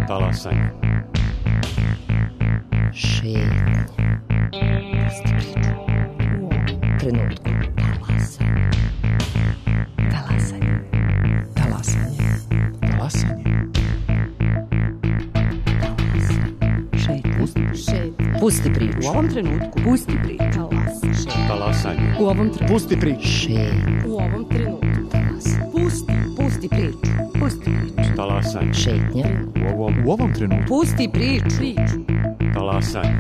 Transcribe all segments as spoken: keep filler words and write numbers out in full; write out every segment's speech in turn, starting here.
Talasanje. Šetnje. Pusti priču. U ovom trenutku. Talasanje. Talasanje. Talasanje. Talasanje. Šetnje. Pusti priču. U ovom trenutku. Pusti priču. Talasanje. U ovom trenutku. Pusti priču. Šetnje. U ovom trenutku. Talasanje. Pusti. Pusti priču. Pusti priču. Talasanje. Šetnje. U ovom, U ovom trenutku. Pusti priču. Priču. talasanje.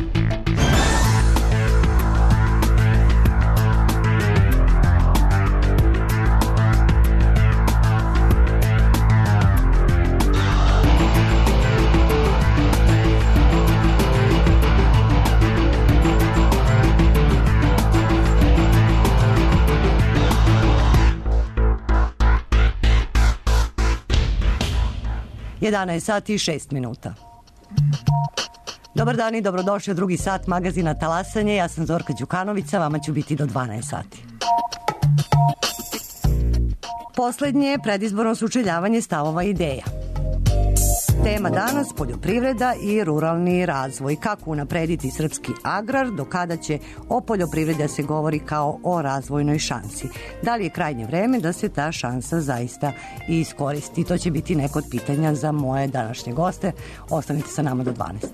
jedanaest sati i šest minuta. Dobar dan i dobrodošli u drugi sat magazina Talasanje. Ja sam Zorka Đukanovića, vama ću biti do dvanaest sati. Poslednje predizborno sučeljavanje stavova i ideja. Tema danas poljoprivreda i ruralni razvoj. Kako unaprediti srpski agrar, do kada će o poljoprivredi da se govori kao o razvojnoj šansi. Da li je krajnje vreme da se ta šansa zaista i iskoristi? To će biti neko od pitanja za moje današnje goste. Ostanite sa nama do dvanaest.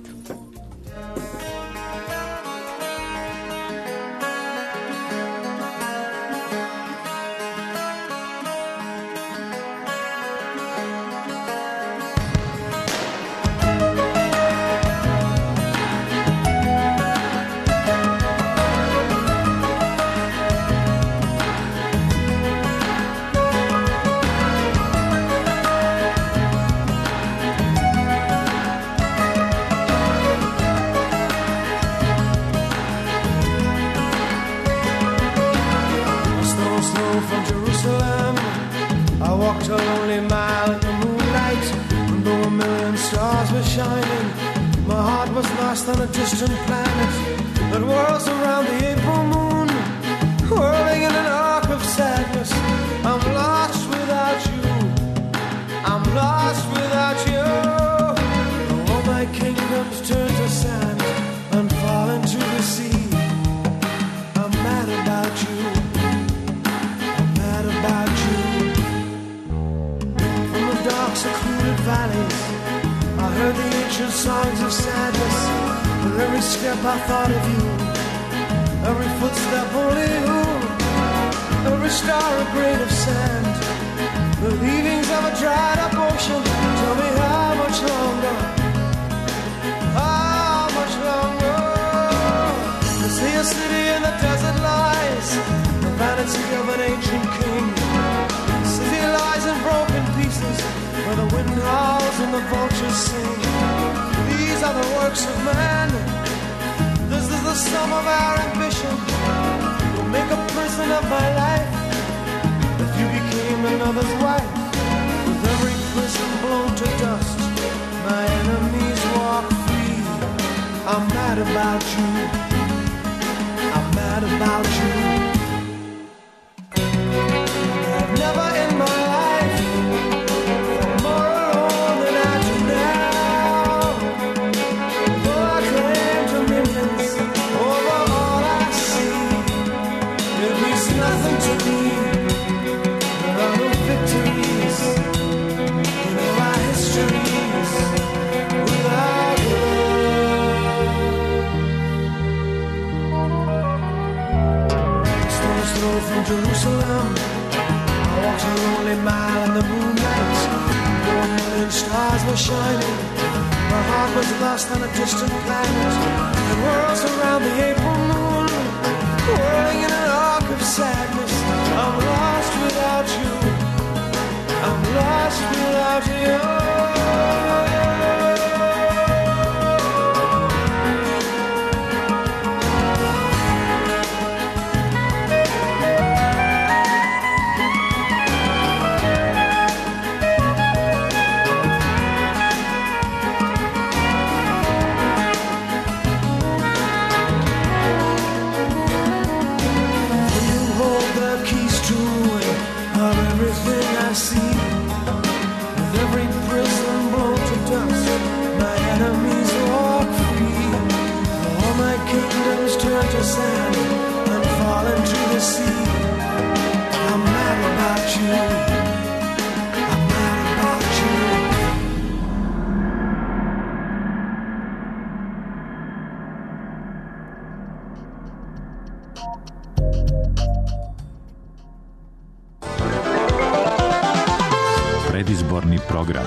predizborni program.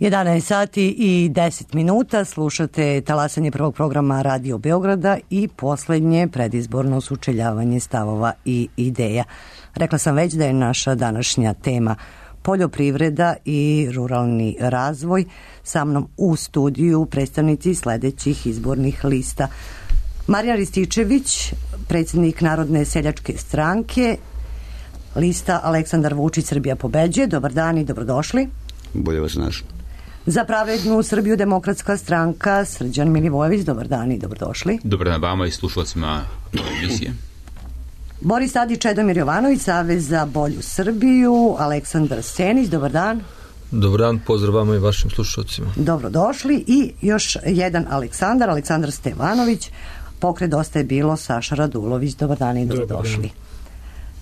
jedanaest sati i deset minuta, slušate talasanje prvog programa Radio Beograda i poslednje predizborno sučeljavanje stavova i ideja. Rekla sam već da je naša današnja tema poljoprivreda i ruralni razvoj. Sa mnom u studiju predstavnici sledećih izbornih lista. Marijan Rističević, predsjednik Narodne seljačke stranke, lista Aleksandar Vučić Srbija pobeđuje. Dobar dan i dobrodošli. Bolje vas našli. Za pravednu Srbiju demokratska stranka Srđan Milivojević, dobar dan i dobrodošli. Dobar dan vama i slušalcima emisije. Boris Tadić, Čedomir Jovanović, Savez za bolju Srbiju, Aleksandar Senić, dobar dan. Dobar dan, pozdrav vama i vašim slušalcima. Dobrodošli i još jedan Aleksandar, Aleksandar Stevanović, Pokret Dosta je bilo, Saša Radulović, dobar dan i dobrodošli. Dobar dan.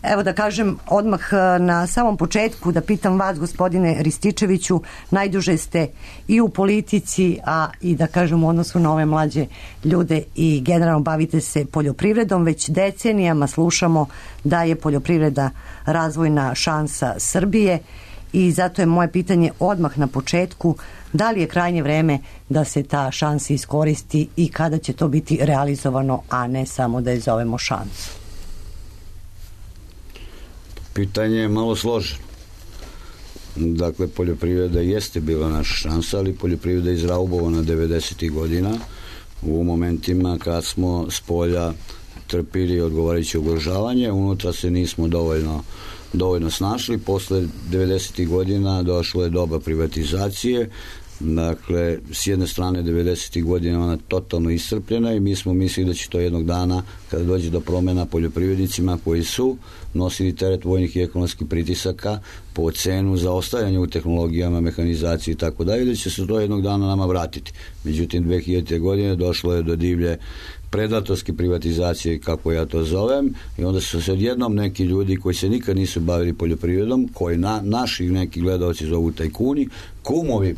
Evo da kažem odmah na samom početku da pitam vas, gospodine Rističeviću, najduže ste i u politici, a i da kažem u odnosu na ove mlađe ljude i generalno bavite se poljoprivredom. Već decenijama slušamo da je poljoprivreda razvojna šansa Srbije i zato je moje pitanje odmah na početku, da li je krajnje vreme da se ta šansa iskoristi i kada će to biti realizovano, a ne samo da je zovemo šansu? Pitanje je malo složeno. Dakle, poljoprivreda jeste bila naša šansa, ali poljoprivreda je izraubovana devedesetih godina u momentima kad smo s polja trpili odgovarajuće ugrožavanje, unutra se nismo dovoljno, dovoljno snašli. Posle devedesetih godina došlo je doba privatizacije. Dakle, s jedne strane devedesetih godina ona totalno iscrpljena i mi smo mislili da će to jednog dana, kada dođe do promena poljoprivrednicima koji su nosili teret vojnih i ekonomskih pritisaka po cenu za ostajanje u tehnologijama, mehanizaciji i tako dalje, da će se to jednog dana nama vratiti. Međutim, dve hiljadite. godine došlo je do divlje predatorske privatizacije, kako ja to zovem, i onda su se odjednom neki ljudi koji se nikad nisu bavili poljoprivredom, koji na, naši neki gledalci zovu tajkuni, kumovi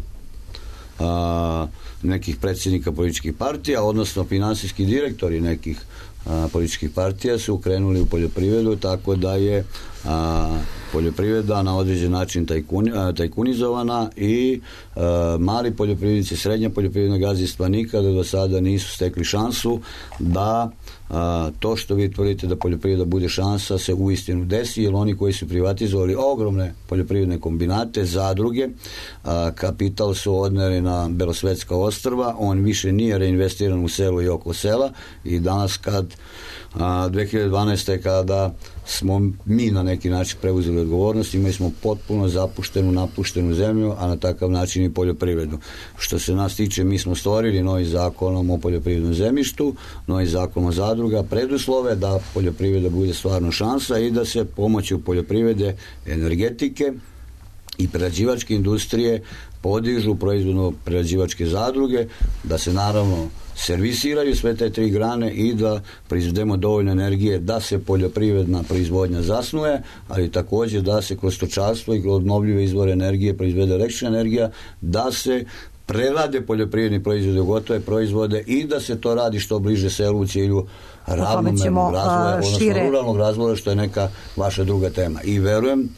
A, nekih predsjednika političkih partija, odnosno finansijski direktori nekih a, političkih partija su krenuli u poljoprivredu, tako da je a, poljoprivreda na određen način tajkuni, a, tajkunizovana i a, mali poljoprivrednici, srednja poljoprivredna gazdinstva nikada do sada nisu stekli šansu da a, to što vi tvrdite da poljoprivreda bude šansa se uistinu desi, jer oni koji su privatizovali ogromne poljoprivredne kombinate, zadruge, a, kapital su odneli na Belosvetska ostrva, on više nije reinvestiran u selo i oko sela i danas kad a, dve hiljade dvanaeste. kada smo mi na neki način preuzeli odgovornost, imali smo potpuno zapuštenu, napuštenu zemlju, a na takav način i poljoprivredu. Što se nas tiče, mi smo stvorili novi zakonom o poljoprivrednom zemljištu, novi zakon o zadruga, preduslove da poljoprivreda bude stvarno šansa i da se pomoću poljoprivrede, energetike i prerađivačke industrije podižu proizvodno-prerađivačke zadruge, da se naravno servisiraju sve te tri grane i da proizvedemo dovoljno energije da se poljoprivredna proizvodnja zasnuje, ali također da se kroz stočarstvo i kroz obnovljive izvore energije proizvede električna energija, da se prerade poljoprivredni proizvode u gotove proizvode i da se to radi što bliže selu u cilju ravnomernog razvoja, odnosno šire... ruralnog razvoja, što je neka vaša druga tema. I verujem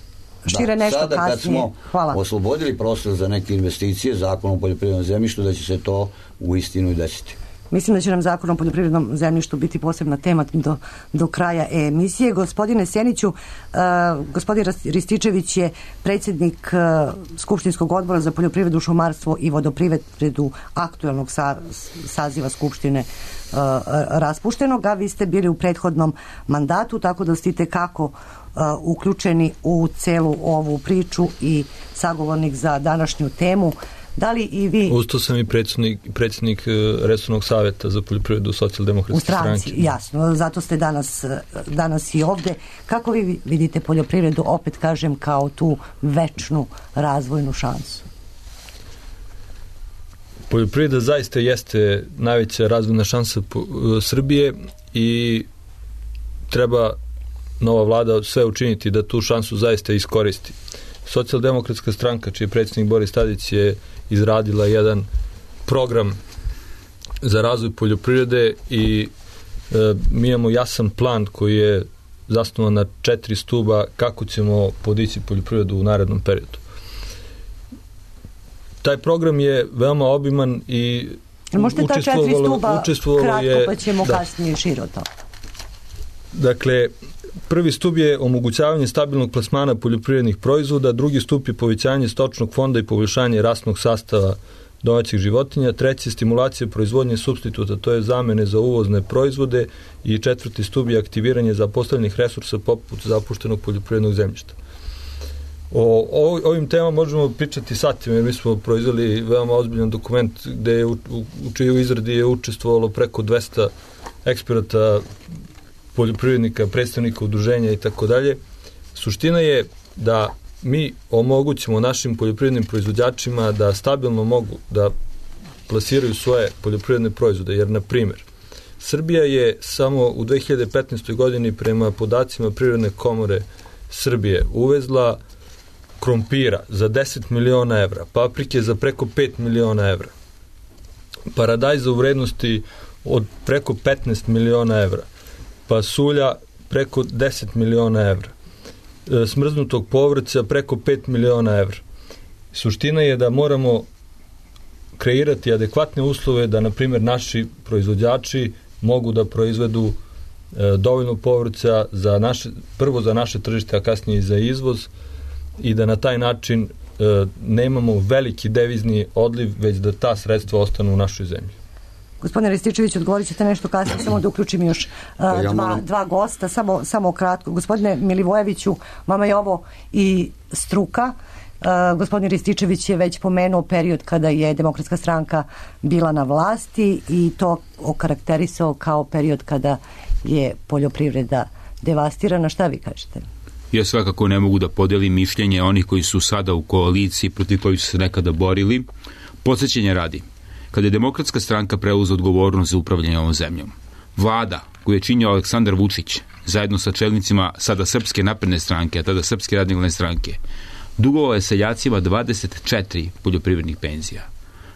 Šire da, nešto sada kad kasnije. smo Hvala. oslobodili prostor za neke investicije zakonom o poljoprivrednom zemljištu, da će se to u istinu i desiti. Mislim da će nam zakon o poljoprivrednom zemljištu biti posebna tema do, do kraja emisije. Gospodine Seniću, uh, gospodin Rističević je predsjednik uh, Skupštinskog odbora za poljoprivredu, šumarstvo i vodoprivredu aktuelnog sa, saziva Skupštine uh, raspuštenog, a vi ste bili u prethodnom mandatu, tako da ste kako uh, uključeni u celu ovu priču i sagovornik za današnju temu. Da li i vi... Usto sam i predsjednik, predsjednik Resornog savjeta za poljoprivredu Socijaldemokratske stranke. U stranci, jasno. Zato ste danas, danas i ovde. Kako vi vidite poljoprivredu, opet kažem, kao tu večnu razvojnu šansu? Poljoprivreda zaista jeste najveća razvojna šansa Srbije i treba nova vlada sve učiniti da tu šansu zaista iskoristi. Socijaldemokratska stranka, čiji predsjednik Boris Tadić, je izradila jedan program za razvoj poljoprivrede i e, mi imamo jasan plan koji je zasnovan na četiri stuba kako ćemo podići poljoprivredu u narednom periodu. Taj program je veoma obiman i možete ta četiri stuba kratko je, pa ćemo da. kasnije širo to. Dakle, prvi stup je omogućavanje stabilnog plasmana poljoprivrednih proizvoda, drugi stup je povećanje stočnog fonda i poboljšanje rasnog sastava domaćih životinja, treći je stimulacija proizvodnje supstituta, to je zamene za uvozne proizvode, i četvrti stup je aktiviranje zapostavljenih resursa poput zapuštenog poljoprivrednog zemljišta. O, o ovim temama možemo pričati satima, jer mi smo proizveli veoma ozbiljan dokument gde je u, u, u čiju izradi je učestvovalo preko dvesta eksperata, poljoprivrednika, predstavnika udruženja i tako dalje. Suština je da mi omogućimo našim poljoprivrednim proizvođačima da stabilno mogu da plasiraju svoje poljoprivredne proizvode, jer, na primjer, Srbija je samo u dve hiljade petnaestoj. godini prema podacima Privredne komore Srbije uvezla krompira za deset miliona evra, paprike za preko pet miliona evra, paradajza u vrednosti od preko petnaest miliona evra, pasulja preko deset miliona evra, smrznutog povrća preko pet miliona evra. Suština je da moramo kreirati adekvatne uslove da, na primjer, naši proizvođači mogu da proizvedu e, dovoljno povrća za naše, prvo za naše tržište, a kasnije i za izvoz, i da na taj način e, nemamo veliki devizni odliv, već da ta sredstva ostanu u našoj zemlji. Gospodine Rističević, odgovorit ćete nešto kasnije, samo da uključim još uh, ja dva, moram... dva gosta, samo, samo kratko. Gospodine Milivojeviću, vama je ovo i struka. Uh, gospodin Rističević je već pomenuo period kada je Demokratska stranka bila na vlasti i to okarakterisao kao period kada je poljoprivreda devastirana. Šta vi kažete? Ja svakako ne mogu da podelim mišljenje onih koji su sada u koaliciji, protiv koji su se nekada borili. Podsećenja radi. Kada je Demokratska stranka preuzela odgovornost za upravljanje ovom zemljom, vlada koju je činio Aleksandar Vučić zajedno sa čelnicima sada Srpske napredne stranke, a tada Srpske radikalne stranke, dugovao je seljacima dvadeset četiri poljoprivrednih penzija.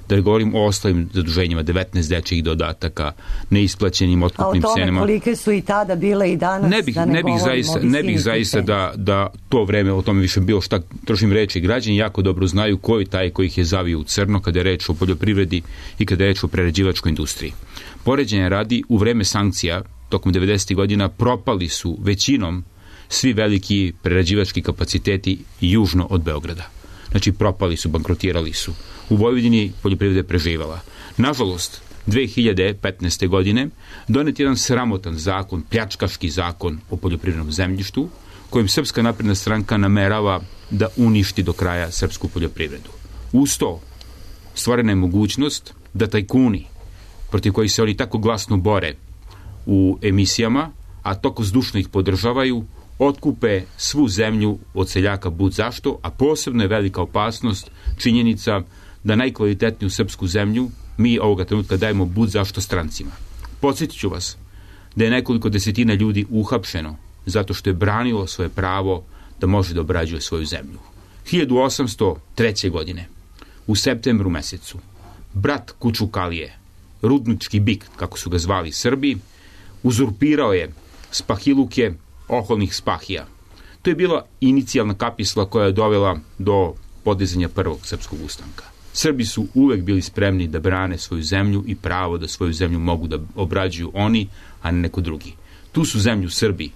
Da ne govorim o ostalim zaduženjima, devetnaest dečjih dodataka, neisplaćenim otkupnim cenama. A o tome kolike su i tada bile i danas, ne bih, da ne, ne bih zaista, ne bih zaista da, da to vreme o tome više bilo šta trošim reči. Građani jako dobro znaju ko je taj koji ih je zavio u crno kada je reč o poljoprivredi i kada je reč o prerađivačkoj industriji. Poređenja radi, u vreme sankcija tokom devedesetih godina propali su većinom svi veliki prerađivački kapaciteti južno od Beograda. Znači, propali su, bankrotirali su. U Vojvodini poljoprivreda je preživala. Nažalost, dve hiljade petnaeste. godine donet jedan sramotan zakon, pljačkaški zakon o poljoprivrednom zemljištu, kojim Srpska napredna stranka namerava da uništi do kraja srpsku poljoprivredu. Uz to, stvorena je mogućnost da tajkuni, protiv kojih se oni tako glasno bore u emisijama, a toko zdušno ih podržavaju, otkupe svu zemlju od seljaka bud zašto, a posebno je velika opasnost činjenica da najkvalitetniju srpsku zemlju mi ovoga trenutka dajemo bud zašto strancima. Podsjetit ću vas da je nekoliko desetina ljudi uhapšeno zato što je branilo svoje pravo da može da obrađuje svoju zemlju. hiljadu osamsto treće. godine, u septembru mesecu, brat Kučukalije, rudnički bik, kako su ga zvali Srbi, uzurpirao je spahiluke oholnih spahija. To je bila inicijalna kapisla koja je dovela do podizanja prvog srpskog ustanka. Srbi su uvek bili spremni da brane svoju zemlju i pravo da svoju zemlju mogu da obrađuju oni, a ne neko drugi. Tu su zemlju Srbi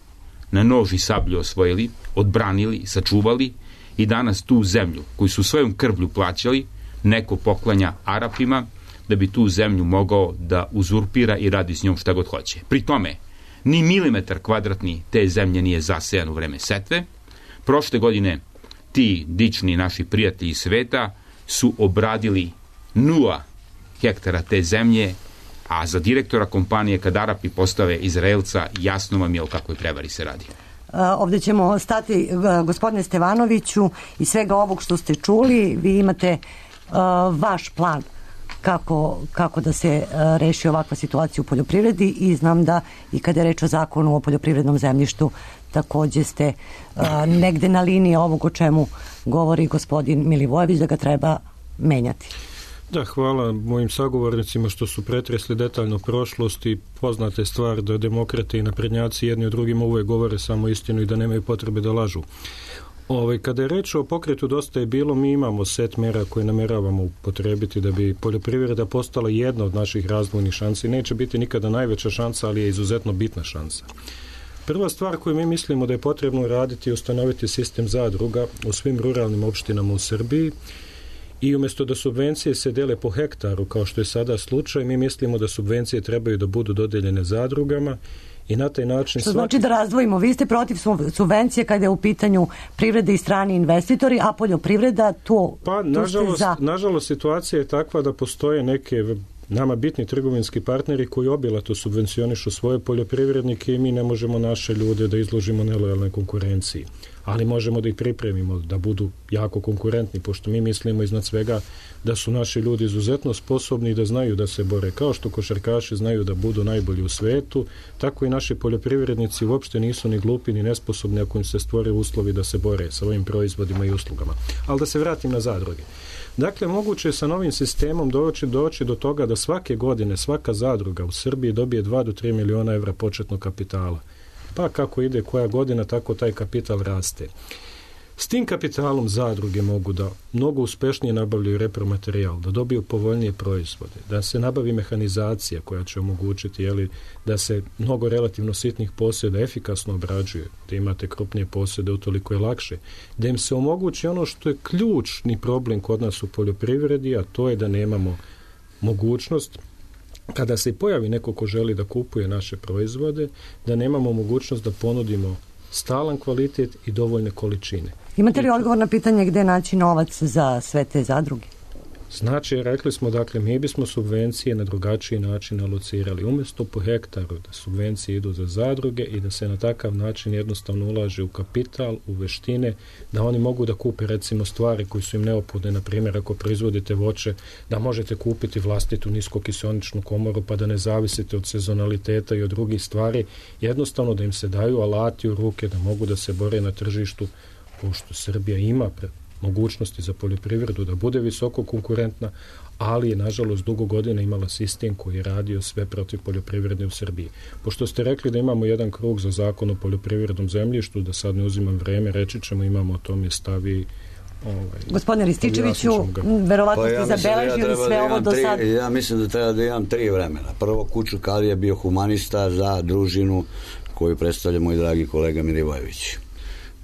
na nož i sablju osvojili, odbranili, sačuvali i danas tu zemlju koju su svojom krvlju plaćali neko poklanja Arapima da bi tu zemlju mogao da uzurpira i radi s njom šta god hoće. Pri tome, ni milimetar kvadratni te zemlje nije zasejan u vreme setve. Prošle godine ti dični naši prijatelji sveta su obradili nula hektara te zemlje, a za direktora kompanije kad Arapi postave Izraelca, jasno vam je o kakvoj prevari se radi. Ovdje ćemo stati, gospodine Stevanoviću, i svega ovog što ste čuli, vi imate uh, vaš plan kako, kako da se uh, reši ovakva situacija u poljoprivredi i znam da i kada je reč o zakonu o poljoprivrednom zemljištu također ste uh, negde na liniji ovog o čemu govori gospodin Milivojević da ga treba menjati. Da, hvala mojim sagovornicima što su pretresli detaljno prošlost i poznate stvar da demokrate i naprednjaci jedni od drugima uvek govore samo istinu i da nemaju potrebe da lažu. Ove, kada je reč o pokretu Dosta je bilo, mi imamo set mera koje nameravamo upotrebiti da bi poljoprivreda postala jedna od naših razvojnih šansi. Neće biti nikada najveća šansa, ali je izuzetno bitna šansa. Prva stvar koju mi mislimo da je potrebno raditi je ustanoviti sistem zadruga u svim ruralnim opštinama u Srbiji i umjesto da subvencije se dele po hektaru, kao što je sada slučaj, mi mislimo da subvencije trebaju da budu dodeljene zadrugama i na taj način... Što znači da razdvojimo, vi ste protiv subvencije kada je u pitanju privrede i strani investitori, a poljoprivreda to... Pa, nažalost, za... nažalost, situacija je takva da postoje neke nama bitni trgovinski partneri koji obilato subvencionišu svoje poljoprivrednike i mi ne možemo naše ljude da izložimo nelojalnoj konkurenciji. Ali možemo da ih pripremimo da budu jako konkurentni, pošto mi mislimo iznad svega da su naši ljudi izuzetno sposobni i da znaju da se bore. Kao što košarkaši znaju da budu najbolji u svetu, tako i naši poljoprivrednici uopšte nisu ni glupi ni nesposobni ako im se stvore uslovi da se bore sa ovim proizvodima i uslugama. Ali da se vratim na zadruge. Dakle, moguće je sa novim sistemom doći, doći do toga da svake godine svaka zadruga u Srbiji dobije dva do tri miliona evra početnog kapitala. Pa kako ide koja godina, tako taj kapital raste. S tim kapitalom zadruge mogu da mnogo uspešnije nabavljaju repromaterijal, da dobiju povoljnije proizvode, da se nabavi mehanizacija koja će omogućiti jeli, da se mnogo relativno sitnih posjeda efikasno obrađuje, da imate krupnije posjede, utoliko je lakše, da im se omogući ono što je ključni problem kod nas u poljoprivredi, a to je da nemamo mogućnost kada se pojavi neko ko želi da kupuje naše proizvode, da nemamo mogućnost da ponudimo stalan kvalitet i dovoljne količine. Imate li odgovor na pitanje gde naći novac za sve te zadruge? Znači, rekli smo, dakle, mi bismo subvencije na drugačiji način alocirali. Umjesto po hektaru da subvencije idu za zadruge i da se na takav način jednostavno ulaže u kapital, u veštine, da oni mogu da kupe recimo stvari koji su im neophodne, na primjer ako proizvodite voće, da možete kupiti vlastitu niskokisoničnu komoru pa da ne zavisite od sezonaliteta i od drugih stvari, jednostavno da im se daju alati u ruke da mogu da se bore na tržištu, pošto Srbija ima pred mogućnosti za poljoprivredu da bude visoko konkurentna, ali je nažalost dugo godina imala sistem koji je radio sve protiv poljoprivrede u Srbiji. Pošto ste rekli da imamo jedan krug za zakon o poljoprivrednom zemljištu, da sad ne uzimam vreme, reći ćemo, imamo o tome stavi. Ovaj, Gospodine Rističeviću, verovatno pa ste ja zabeležili da sve da ovo do tri, sad. Ja mislim da treba da imam tri vremena. Prvo, Kuču Kalija bio humanista za družinu koju predstavlja moj dragi kolega Milivojević.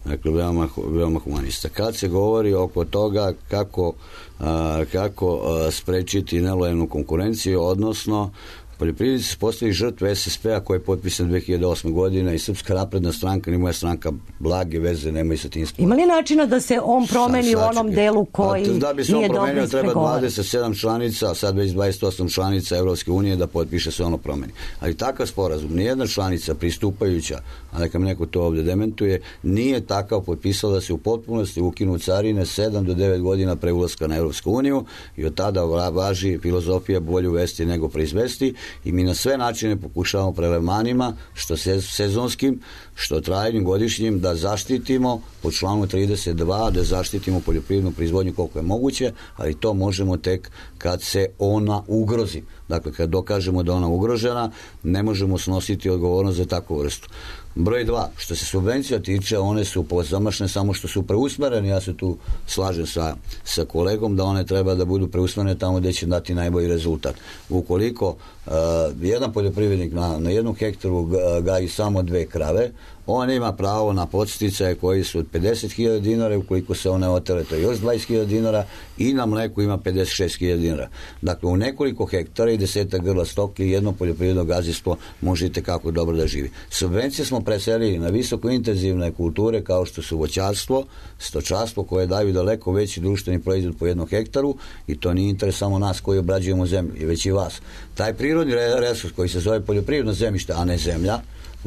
Dakle, veoma, veoma humanista. Kad se govori oko toga kako, a, kako a, sprečiti nelojalnu konkurenciju, odnosno poljoprivrednici su postali žrtve es es pe-a koji je potpisan dve hiljade osme. godine i Srpska napredna stranka, ni moja stranka, blage veze nemaju sa tim sporom. Ima li načina da se on promeni Sa, u onom delu koji nije dobro ispregovoran? Da bi se on promenio, treba dvadeset sedam članica, a sad već dvadeset osam članica Evropske unije da potpiše se ono promeni. Ali takav sporazum, nijedna članica pristupajuća, a neka mi neko to ovdje dementuje, nije takav potpisala da se u potpunosti ukinu carine sedam do devet godina pre ulaska na Evropsku uniju i od tada važi filozofija bolje uvesti nego proizvesti. I mi na sve načine pokušavamo prelevmanima, što sezonskim, što trajnim, godišnjim, da zaštitimo po članu trideset dva, da zaštitimo poljoprivrednu proizvodnju koliko je moguće, ali to možemo tek kad se ona ugrozi. Dakle, kad dokažemo da ona ugrožena, ne možemo snositi odgovornost za takvu vrstu. Broj dva, što se subvencija tiče, one su pozamašne samo što su preusmerene, ja se tu slažem sa, sa kolegom da one treba da budu preusmerene tamo gde će dati najbolji rezultat. Ukoliko uh, jedan poljoprivrednik na, na jednom hektaru gaji samo dve krave, on ima pravo na podsticaje koji su od pedeset hiljada dinara, ukoliko se one otele, to je još dvadeset hiljada dinara, i na mleku ima pedeset šest hiljada dinara. Dakle, u nekoliko hektara i desetak grla stoke jedno poljoprivredno gazdinstvo možete kako dobro da živi. Subvencije smo preselili na visoko intenzivne kulture kao što su voćarstvo, stočarstvo, koje daju daleko veći društveni proizvod po jednom hektaru, i to nije interes samo nas koji obrađujemo zemlju, i već i vas. Taj prirodni resurs koji se zove poljoprivredno zemljište, a ne zemlja,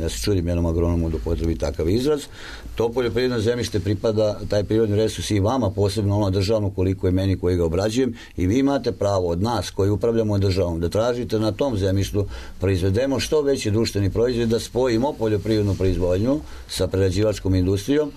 ja se čudim jednom agronomu da potrebi takav izraz, to poljoprivredno zemljište pripada, taj prirodni resurs, i vama, posebno ono državno koliko je meni koji ga obrađujem, i vi imate pravo od nas koji upravljamo državom da tražite na tom zemljištu proizvedemo što veći društveni proizvod, da spojimo poljoprivrednu proizvodnju sa prerađivačkom industrijom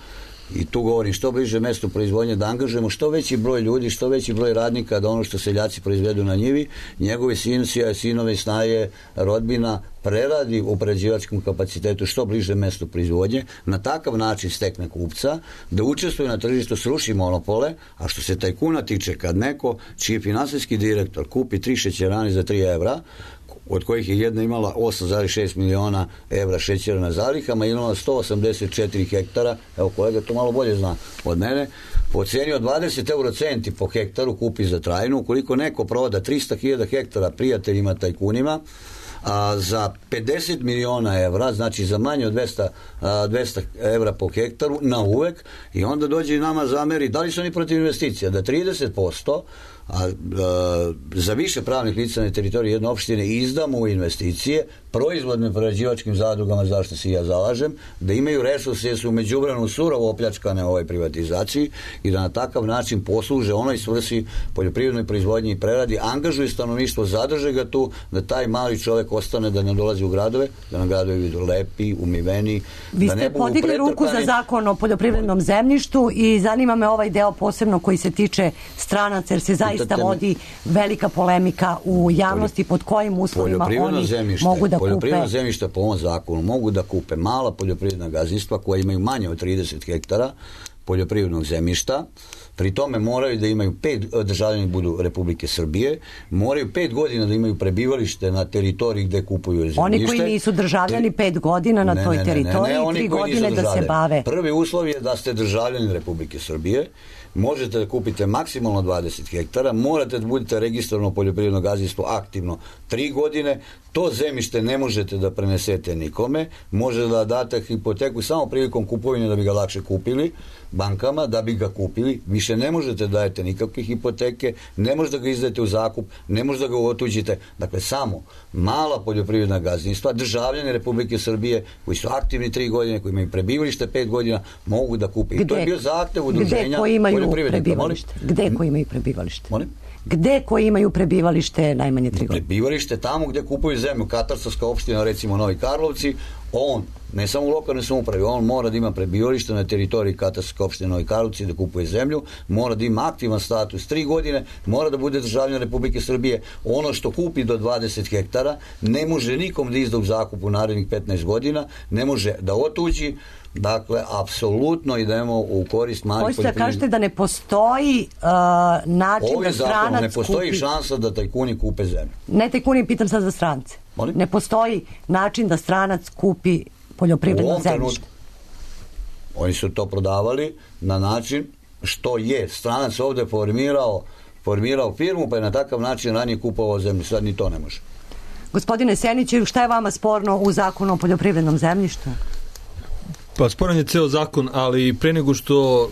i tu govorim što bliže mestu proizvodnje, da angažujemo što veći broj ljudi, što veći broj radnika, da ono što seljaci proizvedu na njivi, njegovi sincija, sinove, snaje, rodbina preradi u prerađivačkom kapacitetu što bliže mestu proizvodnje, na takav način stekne kupca, da učestvuje na tržištu, sruši monopole, a što se tajkuna tiče, kad neko čiji finansijski direktor kupi tri šećerane za tri evra, od kojih je jedna imala osam zarez šest miliona evra šećera na zalihama, imala sto osamdeset četiri hektara, evo kolega to malo bolje zna od mene, po cijeni od dvadeset eurocenti po hektaru kupi za trajnu. Ukoliko neko proda trista hiljada hektara prijateljima tajkunima, a za pedeset miliona evra, znači za manje od dvesta, dvesta evra po hektaru, na uvek, i onda dođe i nama zameri, da li su oni protiv investicija, da trideset posto a, a, za više pravnih lica na teritoriji jedne opštine izdamo u investicije proizvodnim prerađivačkim zadrugama, zašto se ja zalažem, da imaju resurse, jer su u međuvremenu surovo opljačkane u ovoj privatizaciji i da na takav način posluže onoj svrsi poljoprivrednoj proizvodnji i preradi, angažuju stanovništvo, zadrže ga tu, da taj mali čovek ostane, da ne dolazi u gradove, da na gradovi vidu lepi, umiveni. Vi da ste ne podigli ruku za zakon o poljoprivrednom zemljištu i zanima me ovaj deo posebno koji se tiče stranaca, jer se zaista vodi velika polemika u javnosti pod kojim uslovima oni mogu da poljoprivredna zemljišta po ovom zakonu mogu da kupe mala poljoprivredna gazdinstva koja imaju manje od trideset hektara poljoprivrednog zemljišta, pri tome moraju da imaju pet, državljani budu Republike Srbije, moraju pet godina da imaju prebivalište na teritoriji gde kupuju zemljište. Oni koji nisu državljani pet godina na ne, toj teritoriji, ne, ne, ne, tri godine da se bave. Prvi uslov je da ste državljani Republike Srbije, možete da kupite maksimalno dvadeset hektara, morate da budete registrovano poljoprivredno gazdinstvo aktivno tri godine, to zemljište ne možete da prenesete nikome, možete da date hipoteku samo prilikom kupovine da bi ga lakše kupili bankama, da bi ga kupili, više ne možete da dajete nikakve hipoteke, ne možete da ga izdajete u zakup, ne možete da ga otuđite, dakle samo mala poljoprivredna gazdinstva, državljani Republike Srbije koji su aktivni tri godine, koji imaju prebivalište pet godina, mogu da kupe. I to je bio zahtev udruženja Gde koji imaju prebivalište? Gde koji imaju prebivalište? Molim? Gde koji imaju prebivalište najmanje tri godine? Prebivalište tamo gde kupuju zemlju, katastarska opština, recimo Novi Karlovci, on, ne samo u lokalnoj samoupravi, on mora da ima prebivalište na teritoriji katastarske opštine Novi Karlovci, da kupuje zemlju, mora da ima aktivan status tri godine, mora da bude državljan Republike Srbije, ono što kupi do dvadeset hektara, ne može nikom da izda u zakup u narednih petnaest godina, ne može da otuđi. Dakle, apsolutno idemo u korist malih poljoprivrednika. Hoćete kažete da ne postoji uh, način Ovim da stranac kupi... ne postoji kupi... šansa da tajkuni kupe zemlju. Ne tajkuni, pitam sad za strance. Molim? Ne postoji način da stranac kupi poljoprivredno zemljište. Oni su to prodavali na način što je stranac ovde formirao, formirao firmu, pa je na takav način ranije kupovao zemlju. Sad ni to ne može. Gospodine Seniću, šta je vama sporno u zakonu o poljoprivrednom zemljištu? Pa sporan je ceo zakon, ali pre nego što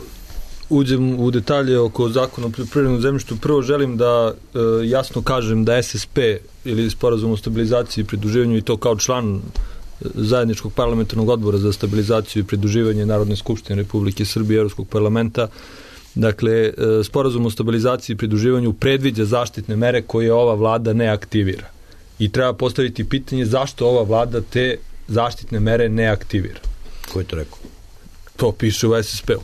uđem u detalje oko zakona o poljoprivrednom zemljištu, prvo želim da e, jasno kažem da S S P ili Sporazum o stabilizaciji i pridruživanju, i to kao član zajedničkog parlamentarnog odbora za stabilizaciju i pridruživanje Narodne skupštine Republike Srbije i Evropskog parlamenta, dakle, e, Sporazum o stabilizaciji i pridruživanju predviđa zaštitne mere koje ova vlada ne aktivira. I treba postaviti pitanje zašto ova vlada te zaštitne mere ne aktivira. Ko je to rekao? To piše u S S P-u.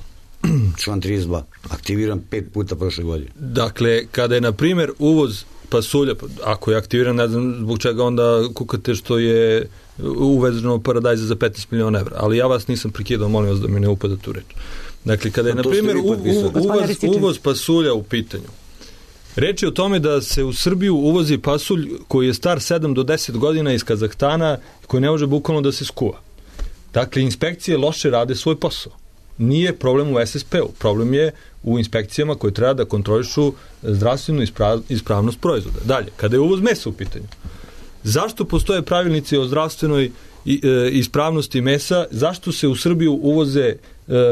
Član trideset dva. Aktiviran pet puta prošle godine. Dakle, kada je, na primjer, uvoz pasulja, ako je aktiviran, ne znam zbog čega onda kukate što je uvezeno paradajza za petnaest miliona evra. Ali ja vas nisam prekidao, molim vas da mi ne upadate u reč. Dakle, kada je, na primjer, u, u, uvoz, uvoz pasulja u pitanju, reč je o tome da se u Srbiju uvozi pasulj koji je star sedam do deset godina iz Kazahstana, koji ne može bukvalno da se skuva. Dakle, inspekcije loše rade svoj posao. Nije problem u S S P-u, problem je u inspekcijama koje treba da kontrolišu zdravstvenu isprav, ispravnost proizvoda. Dalje, kada je uvoz mesa u pitanju, zašto postoje pravilnici o zdravstvenoj i, e, ispravnosti mesa, zašto se u Srbiju uvoze e,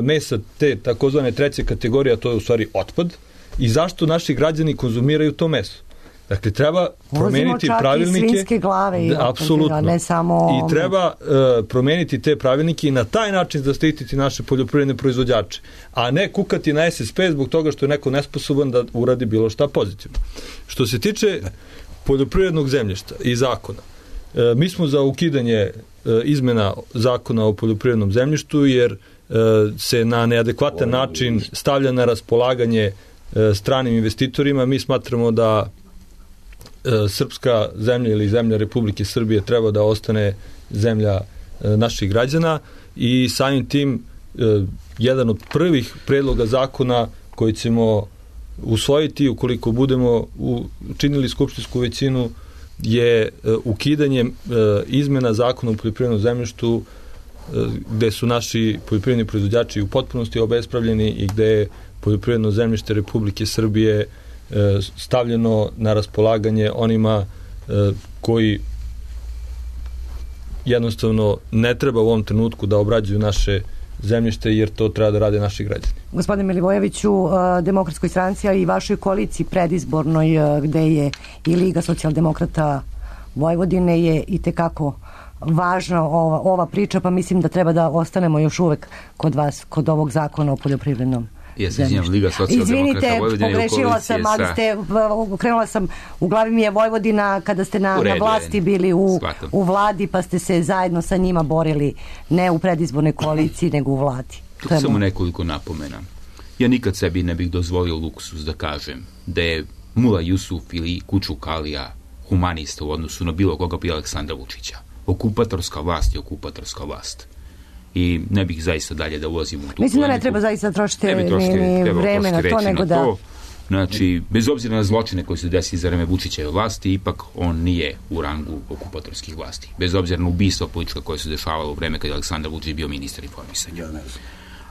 mesa te takozvane treće kategorije, a to je u stvari otpad, i zašto naši građani konzumiraju to meso? Dakle, treba promeniti pravilnike. I svinjske glave i da, apsolutno. Ne samo... I treba uh, promeniti te pravilnike i na taj način zaštititi naše poljoprivredne proizvođače, a ne kukati na S S P zbog toga što je neko nesposoban da uradi bilo šta pozitivno. Što se tiče poljoprivrednog zemljišta i zakona, uh, mi smo za ukidanje izmena zakona o poljoprivrednom zemljištu, jer se na neadekvatan način stavlja na raspolaganje stranim investitorima. Mi smatramo da srpska zemlja ili zemlja Republike Srbije treba da ostane zemlja naših građana i samim tim jedan od prvih predloga zakona koji ćemo usvojiti ukoliko budemo učinili skupštinsku većinu je ukidanje izmena zakona o poljoprivrednom zemljištu gde su naši poljoprivredni proizvođači u potpunosti obespravljeni i gde je poljoprivredno zemljište Republike Srbije stavljeno na raspolaganje onima koji jednostavno ne treba u ovom trenutku da obrađuju naše zemljište, jer to treba da rade naši građani. Gospodine Milivojeviću, Demokratskoj stranci, a i vašoj koaliciji predizbornoj, gde je i Liga socijaldemokrata Vojvodine, je i tekako važna ova, ova priča, pa mislim da treba da ostanemo još uvek kod vas, kod ovog zakona o poljoprivrednom zemljištu. Izvinjam, Liga socijaldemokrata Vojvodine. Izvinite, pogrešila sam, ali ste, krenula sam, u glavi mi je Vojvodina kada ste na, na vlasti bili u, u vladi, pa ste se zajedno sa njima borili, ne u predizbornoj koaliciji, nego u vladi. To samo nekoliko napomena. Ja nikad sebi ne bih dozvolio luksus da kažem da je Mula Jusuf ili Kučuk Alija humanista u odnosu na bilo koga prije Aleksandra Vučića. Okupatorska vlast je okupatorska vlast. I ne bih zaista dalje da ulazim u tu polemiku. Mislim da ne treba zaista trošiti ni, ni vreme na to, nego da... To. Znači, bez obzira na zločine koje se desi za vreme Vučićeve vlasti, ipak on nije u rangu okupatorskih vlasti. Bez obzira na ubistva politička koje se dešavalo u vreme kada je Aleksandar Vučić bio ministar informisanja.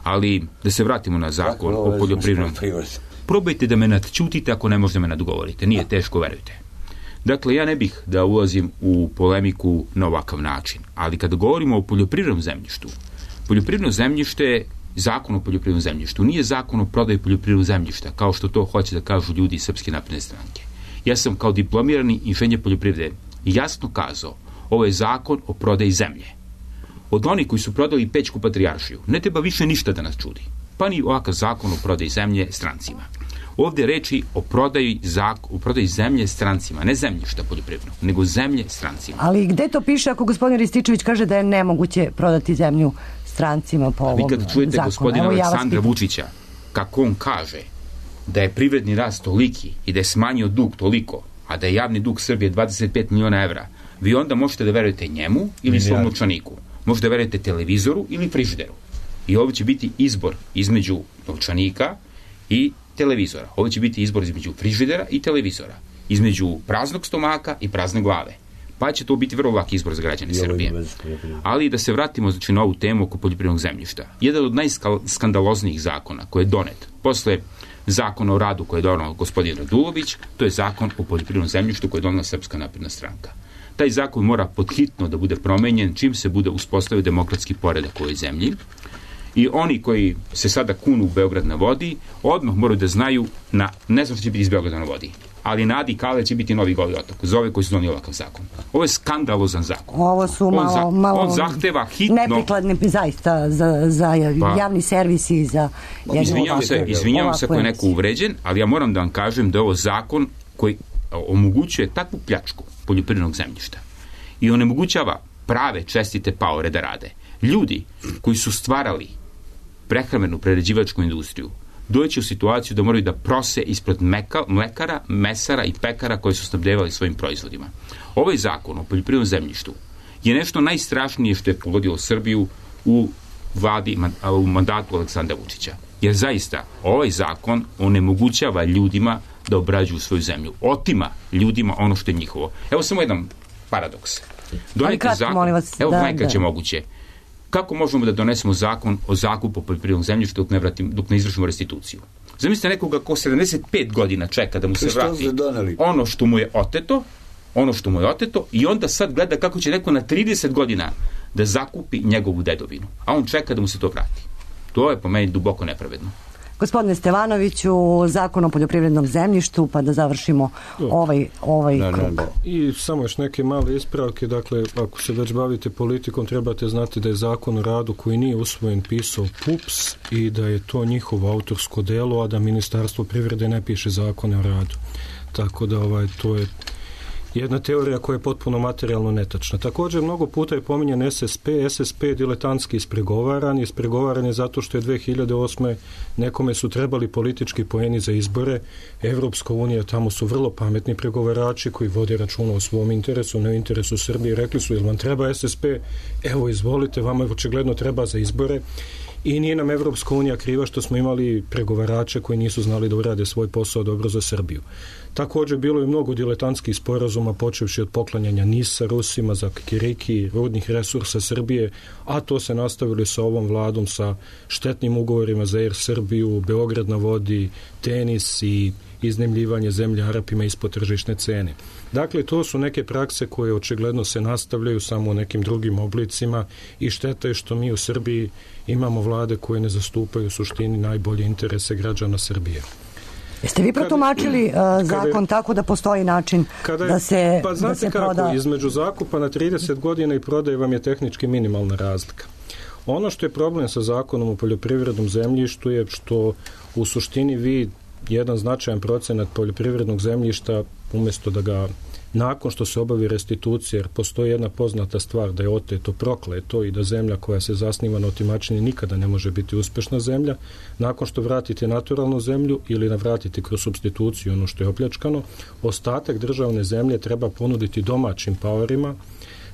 Ali, da se vratimo na zakon o poljoprivrednom... Probajte da me nadćutite ako ne možete me nadgovorite. Nije teško, verujte. Dakle, ja ne bih da ulazim u polemiku na ovakav način, ali kada govorimo o poljoprivrednom zemljištu, poljoprivredno zemljište, zakon o poljoprivrednom zemljištu, nije zakon o prodaji poljoprivrednog zemljišta, kao što to hoće da kažu ljudi iz Srpske napredne stranke. Ja sam kao diplomirani inženjer poljoprivrede jasno kazao, ovo je zakon o prodaji zemlje. Od onih koji su prodali Pećku patrijaršiju, ne treba više ništa da nas čudi, pa ni ovakav zakon o prodaji zemlje strancima. Ovdje reči o prodaji, zak, o prodaji zemlje strancima, ne zemljišta poljoprivrednog, nego zemlje strancima. Ali gde to piše ako gospodin Rističević kaže da je nemoguće prodati zemlju strancima po ovom zakonu? Vi kad čujete zakonu, gospodina Aleksandra ja Vučića, kako on kaže da je privredni rast toliki i da je smanjio dug toliko, a da je javni dug Srbije dvadeset pet miliona evra, vi onda možete da verujete njemu ili svom novčaniku. Možete da verujete televizoru ili frižideru. I ovdje će biti izbor između novčanika i televizora. Ovo će biti izbor između frižidera i televizora. Između praznog stomaka i prazne glave. Pa će to biti vrlo lak izbor za građane Srbije. Ali da se vratimo znači, na ovu temu oko poljoprivrednog zemljišta. Jedan od najskandaloznijih zakona koji je donet posle zakona o radu koji je donao gospodin Radulović, to je zakon o poljoprivrednom zemljištu koji je donala Srpska napredna stranka. Taj zakon mora podhitno da bude promenjen čim se bude uspostavio demokratski poredak u ovoj zemlji. I oni koji se sada kunu u Beograd na vodi, odmah moraju da znaju, na, ne znam što će biti iz Beograda na vodi, ali na Adi Kale će biti Novi Goli otok, za ove koji su donijeli ovakav zakon. Ovo je skandalozan zakon. Ovo su malo, on, za, malo on zahteva hitno... neprikladni zaista za, za javni servis i za... Izvinjavam se, izvinjavam se ako je neko uvređen, ali ja moram da vam kažem da je ovo zakon koji omogućuje takvu pljačku poljoprivrednog zemljišta i onemogućava prave čestite paore da rade. Ljudi koji su stvarali prehrambenu prerađivačku industriju doći u situaciju da moraju da prose ispred meka, mlekara, mesara i pekara koji su snabdevali svojim proizvodima. Ovaj zakon o poljoprivrednom zemljištu je nešto najstrašnije što je pogodilo Srbiju u vladi, u mandatu Aleksandra Vučića. Jer zaista ovaj zakon onemogućava ljudima da obrađuju svoju zemlju. Otima ljudima ono što je njihovo. Evo samo jedan paradoks. Doneti zakon, vas, evo da, najkraće da. moguće. Kako možemo da donesemo zakon o zakupu poljoprivrednog zemljišta dok ne, vratim, dok ne izvršimo restituciju? Zamislite nekoga ko sedamdeset pet godina čeka da mu se vrati ono što mu je oteto, ono što mu je oteto i onda sad gleda kako će neko na trideset godina da zakupi njegovu dedovinu, a on čeka da mu se to vrati. To je po meni duboko nepravedno. Gospodine Stevanoviću, zakon o poljoprivrednom zemljištu, pa da završimo ovaj, ovaj da, krug. Da, da. I samo još neke male ispravke, dakle, ako se već bavite politikom, trebate znati da je zakon o radu koji nije usvojen pisao P U P S i da je to njihovo autorsko delo, a da Ministarstvo privrede ne piše zakone o radu. Tako da ovaj, to je jedna teorija koja je potpuno materijalno netačna. Također, mnogo puta je pominjan S S P. S S P je diletantski ispregovaran. Ispregovaran je zato što je dve hiljade osme nekome su trebali politički poeni za izbore. Evropska unija, tamo su vrlo pametni pregovarači koji vode računa o svom interesu, ne o interesu Srbije. Rekli su, jel vam treba S S P? Evo, izvolite, vama očigledno treba za izbore. I nije nam Evropska unija kriva što smo imali pregovarače koji nisu znali da urade svoj posao dobro za Srbiju. Također bilo je mnogo diletantskih sporazuma, počevši od poklanjanja Nisa Rusima za kikiriki, rudnih resursa Srbije, a to se nastavili sa ovom vladom, sa štetnim ugovorima za Air Srbiju, Beograd na vodi, tenis i iznajmljivanje zemlje Arapima ispod tržišne cene. Dakle, to su neke prakse koje očigledno se nastavljaju samo u nekim drugim oblicima i šteta je što mi u Srbiji imamo vlade koje ne zastupaju u suštini najbolje interese građana Srbije. Jeste vi protumačili uh, zakon je, tako da postoji način kada je, da se, pa znate da se kako, proda... između zakupa na trideset godina i prodaje vam je tehnički minimalna razlika. Ono što je problem sa zakonom o poljoprivrednom zemljištu je što u suštini vi jedan značajan procenat poljoprivrednog zemljišta, umjesto da ga nakon što se obavi restitucija, jer postoji jedna poznata stvar da je oteto, prokleto i da zemlja koja se zasniva na otimačini nikada ne može biti uspešna zemlja, nakon što vratite naturalnu zemlju ili navratite kroz supstituciju ono što je opljačkano, ostatak državne zemlje treba ponuditi domaćim paorima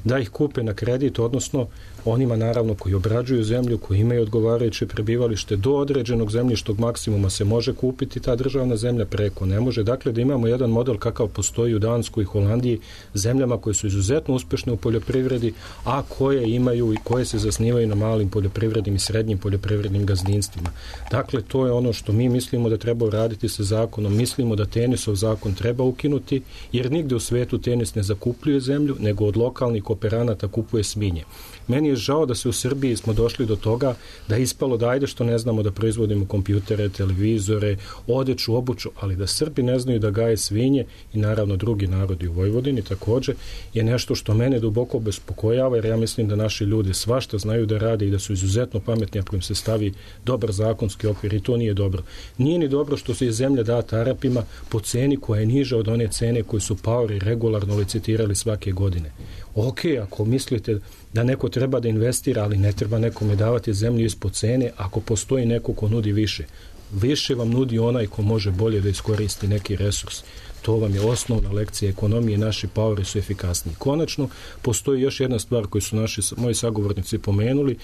da ih kupe na kredit, odnosno onima naravno koji obrađuju zemlju, koji imaju odgovarajuće prebivalište, do određenog zemljištog maksimuma se može kupiti ta državna zemlja, preko ne može. Dakle, da imamo jedan model kakav postoji u Danskoj i Holandiji, zemljama koje su izuzetno uspešne u poljoprivredi, a koje imaju i koje se zasnivaju na malim poljoprivrednim i srednjim poljoprivrednim gazdinstvima. Dakle, to je ono što mi mislimo da treba uraditi sa zakonom. Mislimo da Tenisov zakon treba ukinuti, jer nigde u svetu Tenis ne zakupljuje zemlju, nego od lokalnih kooperanata kupuje svinje. Meni je žao da se u Srbiji smo došli do toga da je ispalo da ajde što ne znamo da proizvodimo kompjutere, televizore, odeću, obuću, ali da Srbi ne znaju da gaje svinje i naravno drugi narodi u Vojvodini također je nešto što mene duboko bespokojava, jer ja mislim da naši ljudi svašta znaju da rade i da su izuzetno pametni ako im se stavi dobar zakonski okvir i to nije dobro. Nije ni dobro što se je zemlja data Arapima po ceni koja je niža od one cene koje su paori regularno licitirali svake godine. Ok, ako mislite da neko treba da investira, ali ne treba nekome davati zemlju ispod cene ako postoji neko ko nudi više. Više vam nudi onaj ko može bolje da iskoristi neki resurs. To vam je osnovna lekcija ekonomije, naši paori su efikasniji. Konačno, postoji još jedna stvar koju su naši, moji sagovornici pomenuli.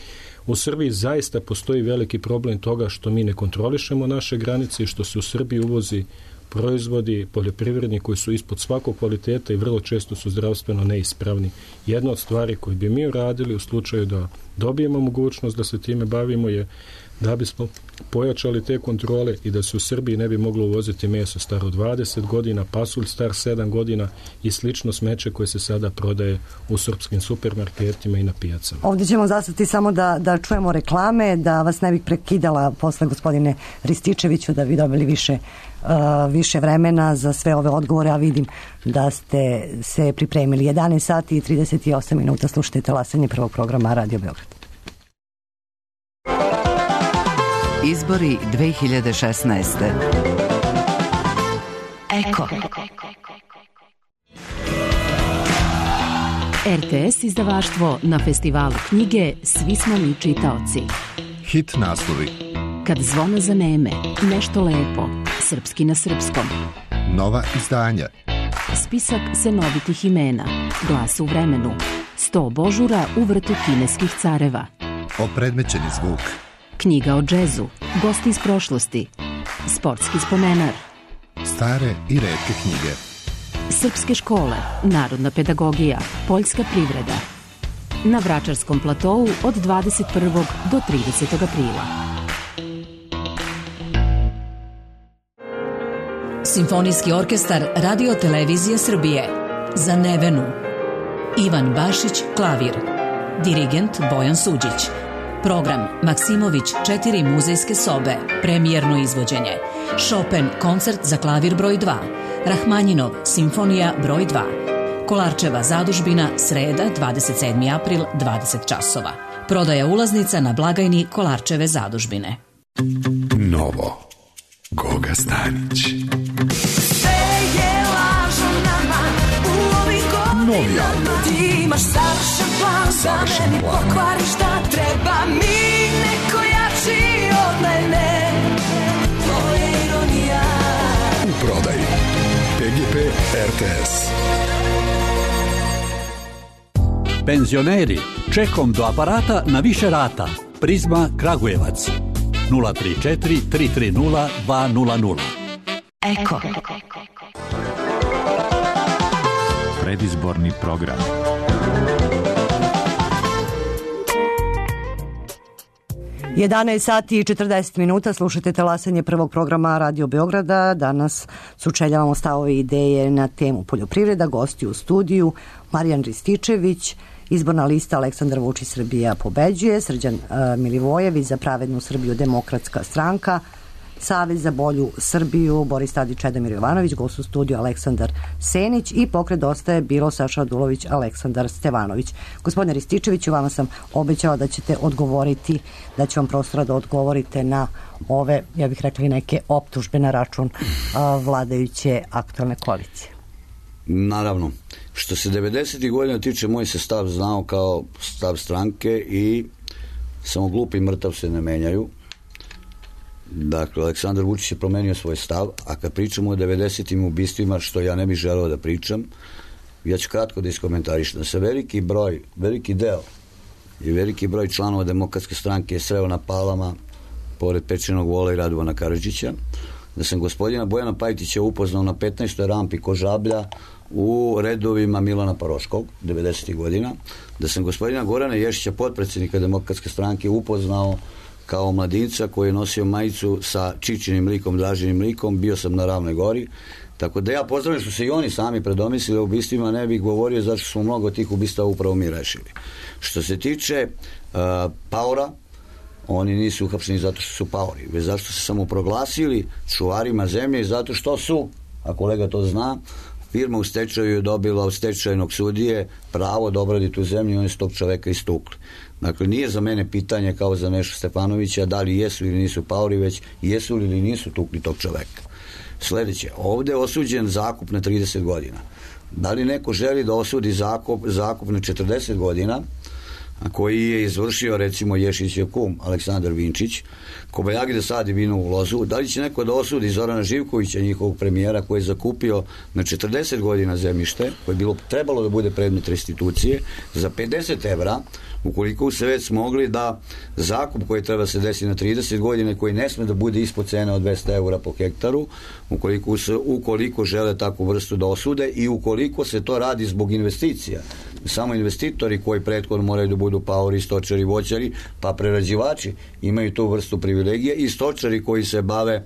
U Srbiji zaista postoji veliki problem toga što mi ne kontrolišemo naše granice i što se u Srbiji uvozi proizvodi poljoprivredni koji su ispod svakog kvaliteta i vrlo često su zdravstveno neispravni. Jedna od stvari koje bi mi uradili u slučaju da dobijemo mogućnost da se time bavimo je da bismo pojačali te kontrole i da se u Srbiji ne bi moglo uvoziti meso staro dvadeset godina, pasulj star sedam godina i slično smeće koje se sada prodaje u srpskim supermarketima i na pijacama. Ovdje ćemo zastati samo da, da čujemo reklame, da vas ne bih prekidala posle gospodine Rističeviću, da vi dobili više, uh, više vremena za sve ove odgovore, a vidim da ste se pripremili. jedanaest sati i trideset osam minuta slušajte Talasanje prvog programa Radio Beograd. Izbori dve hiljade šesnaeste. Eko. R T S izdavaštvo na festivalu knjige Svi smo mi čitaoci. Hit naslovi. Kad zvona zaneme, nešto lepo, srpski na srpskom. Nova izdanja. Spisak senovitih imena, Glas u vremenu, sto božura u vrtu kineskih careva. Opredmećeni zvuk. Knjiga o džezu, gosti iz prošlosti, sportski spomenar. Stare i retke knjige. Srpske škole, narodna pedagogija, poljska privreda. Na Vračarskom platovu od dvadeset prvog do tridesetog aprila. Simfonijski orkestar Radio Televizije Srbije. Za Nevenu. Ivan Bašić, klavir. Dirigent Bojan Suđić. Program Maksimović četiri muzejske sobe, premijerno izvođenje. Chopin koncert za klavir broj dva. Rahmanjinov simfonija broj dva. Kolarčeva zadužbina, sreda, dvadeset sedmi april, dvadeset časova. Prodaja ulaznica na blagajni Kolarčeve zadužbine. Novo. Goga Stanić. Sve je lažno nama u ovim novi album. Ti imaš savršen plan, Savršen da meni plan. pokvariš šta treba mi, neko jači od mene. To je ironija. U prodaji P G P R T S. Penzioneri, čekom do aparata na više rata. Prizma Kragujevac. nula tri četiri tri tri nula dva nula nula. Eko. Predizborni program. jedanaest sati i četrdeset minuta, slušate talasanje prvog programa Radio Beograda. Danas sučeljavamo stavove i ideje na temu poljoprivreda. Gosti u studiju Marijan Rističević, izborna lista Aleksandar Vučić Srbija pobeđuje, Srđan uh, Milivojević za pravednu Srbiju Demokratska stranka, Savez za bolju Srbiju Boris Tadić, Čedomir Jovanović, gost u studiju Aleksandar Senić i Pokret Dosta je bilo Saša Radulović, Aleksandar Stevanović. Gospodine Rističeviću, vama sam obećala da ćete odgovoriti, da će vam prostora da odgovorite na ove, ja bih rekla, neke optužbe na račun uh, vladajuće aktualne koalicije. Naravno. Što se devedesetih godina tiče, moj se stav znao kao stav stranke i samo glup i mrtav se ne menjaju. Dakle, Aleksandar Vučić je promenio svoj stav, a kad pričamo o devedesetim ubistvima, što ja ne bih želeo da pričam, ja ću kratko da iskomentarišem. Da se veliki broj, veliki deo i veliki broj članova Demokratske stranke je sreo na Palama pored Pečenog Vola i Radovana Karadžića, da sam gospodina Bojana Pajtića upoznao na petnaestoj rampi Kožablja u redovima Milana Paroškog devedesetih godina, da sam gospodina Gorana Ješića, potpredsjednika Demokratske stranke, upoznao kao mladinca koji je nosio majicu sa Čičinim likom, Dražinim likom, bio sam na Ravnoj gori, tako da ja pozdravim što se i oni sami predomislili o ubistvima, ne bih govorio zašto smo mnogo tih ubistava upravo mi rešili. Što se tiče uh, paora, oni nisu uhapšeni zato što su paori, već zato što se samo proglasili čuvarima zemlje i zato što su, a kolega to zna, firma u stečaju je dobila od stečajnog sudije pravo da obradi tu zemlju i oni su tog čoveka istukli. Dakle, nije za mene pitanje kao za Nešu Stefanovića da li jesu ili nisu paori, već jesu li ili nisu tukli tog čoveka. Sledeće, ovde je osuđen zakup na trideset godina. Da li neko želi da osudi zakup, zakup na četrdeset godina, koji je izvršio recimo Ješićev kum Aleksandar Vinčić, Kobajagi da sadi vino u lozu, da li će neko da osudi Zorana Živkovića, njihovog premijera, koji je zakupio na četrdeset godina zemljište, koje je bilo trebalo da bude predmet restitucije, za pedeset evra, ukoliko se već smogli da zakup koji treba se desiti na trideset godina, koji ne sme da bude ispod cene od dvesta evra po hektaru, ukoliko, se, ukoliko žele takvu vrstu da osude i ukoliko se to radi zbog investicija. Samo investitori koji prethodno moraju da budu paori, stočari, voćari, pa prerađivači imaju tu vrstu privilegije i stočari koji se bave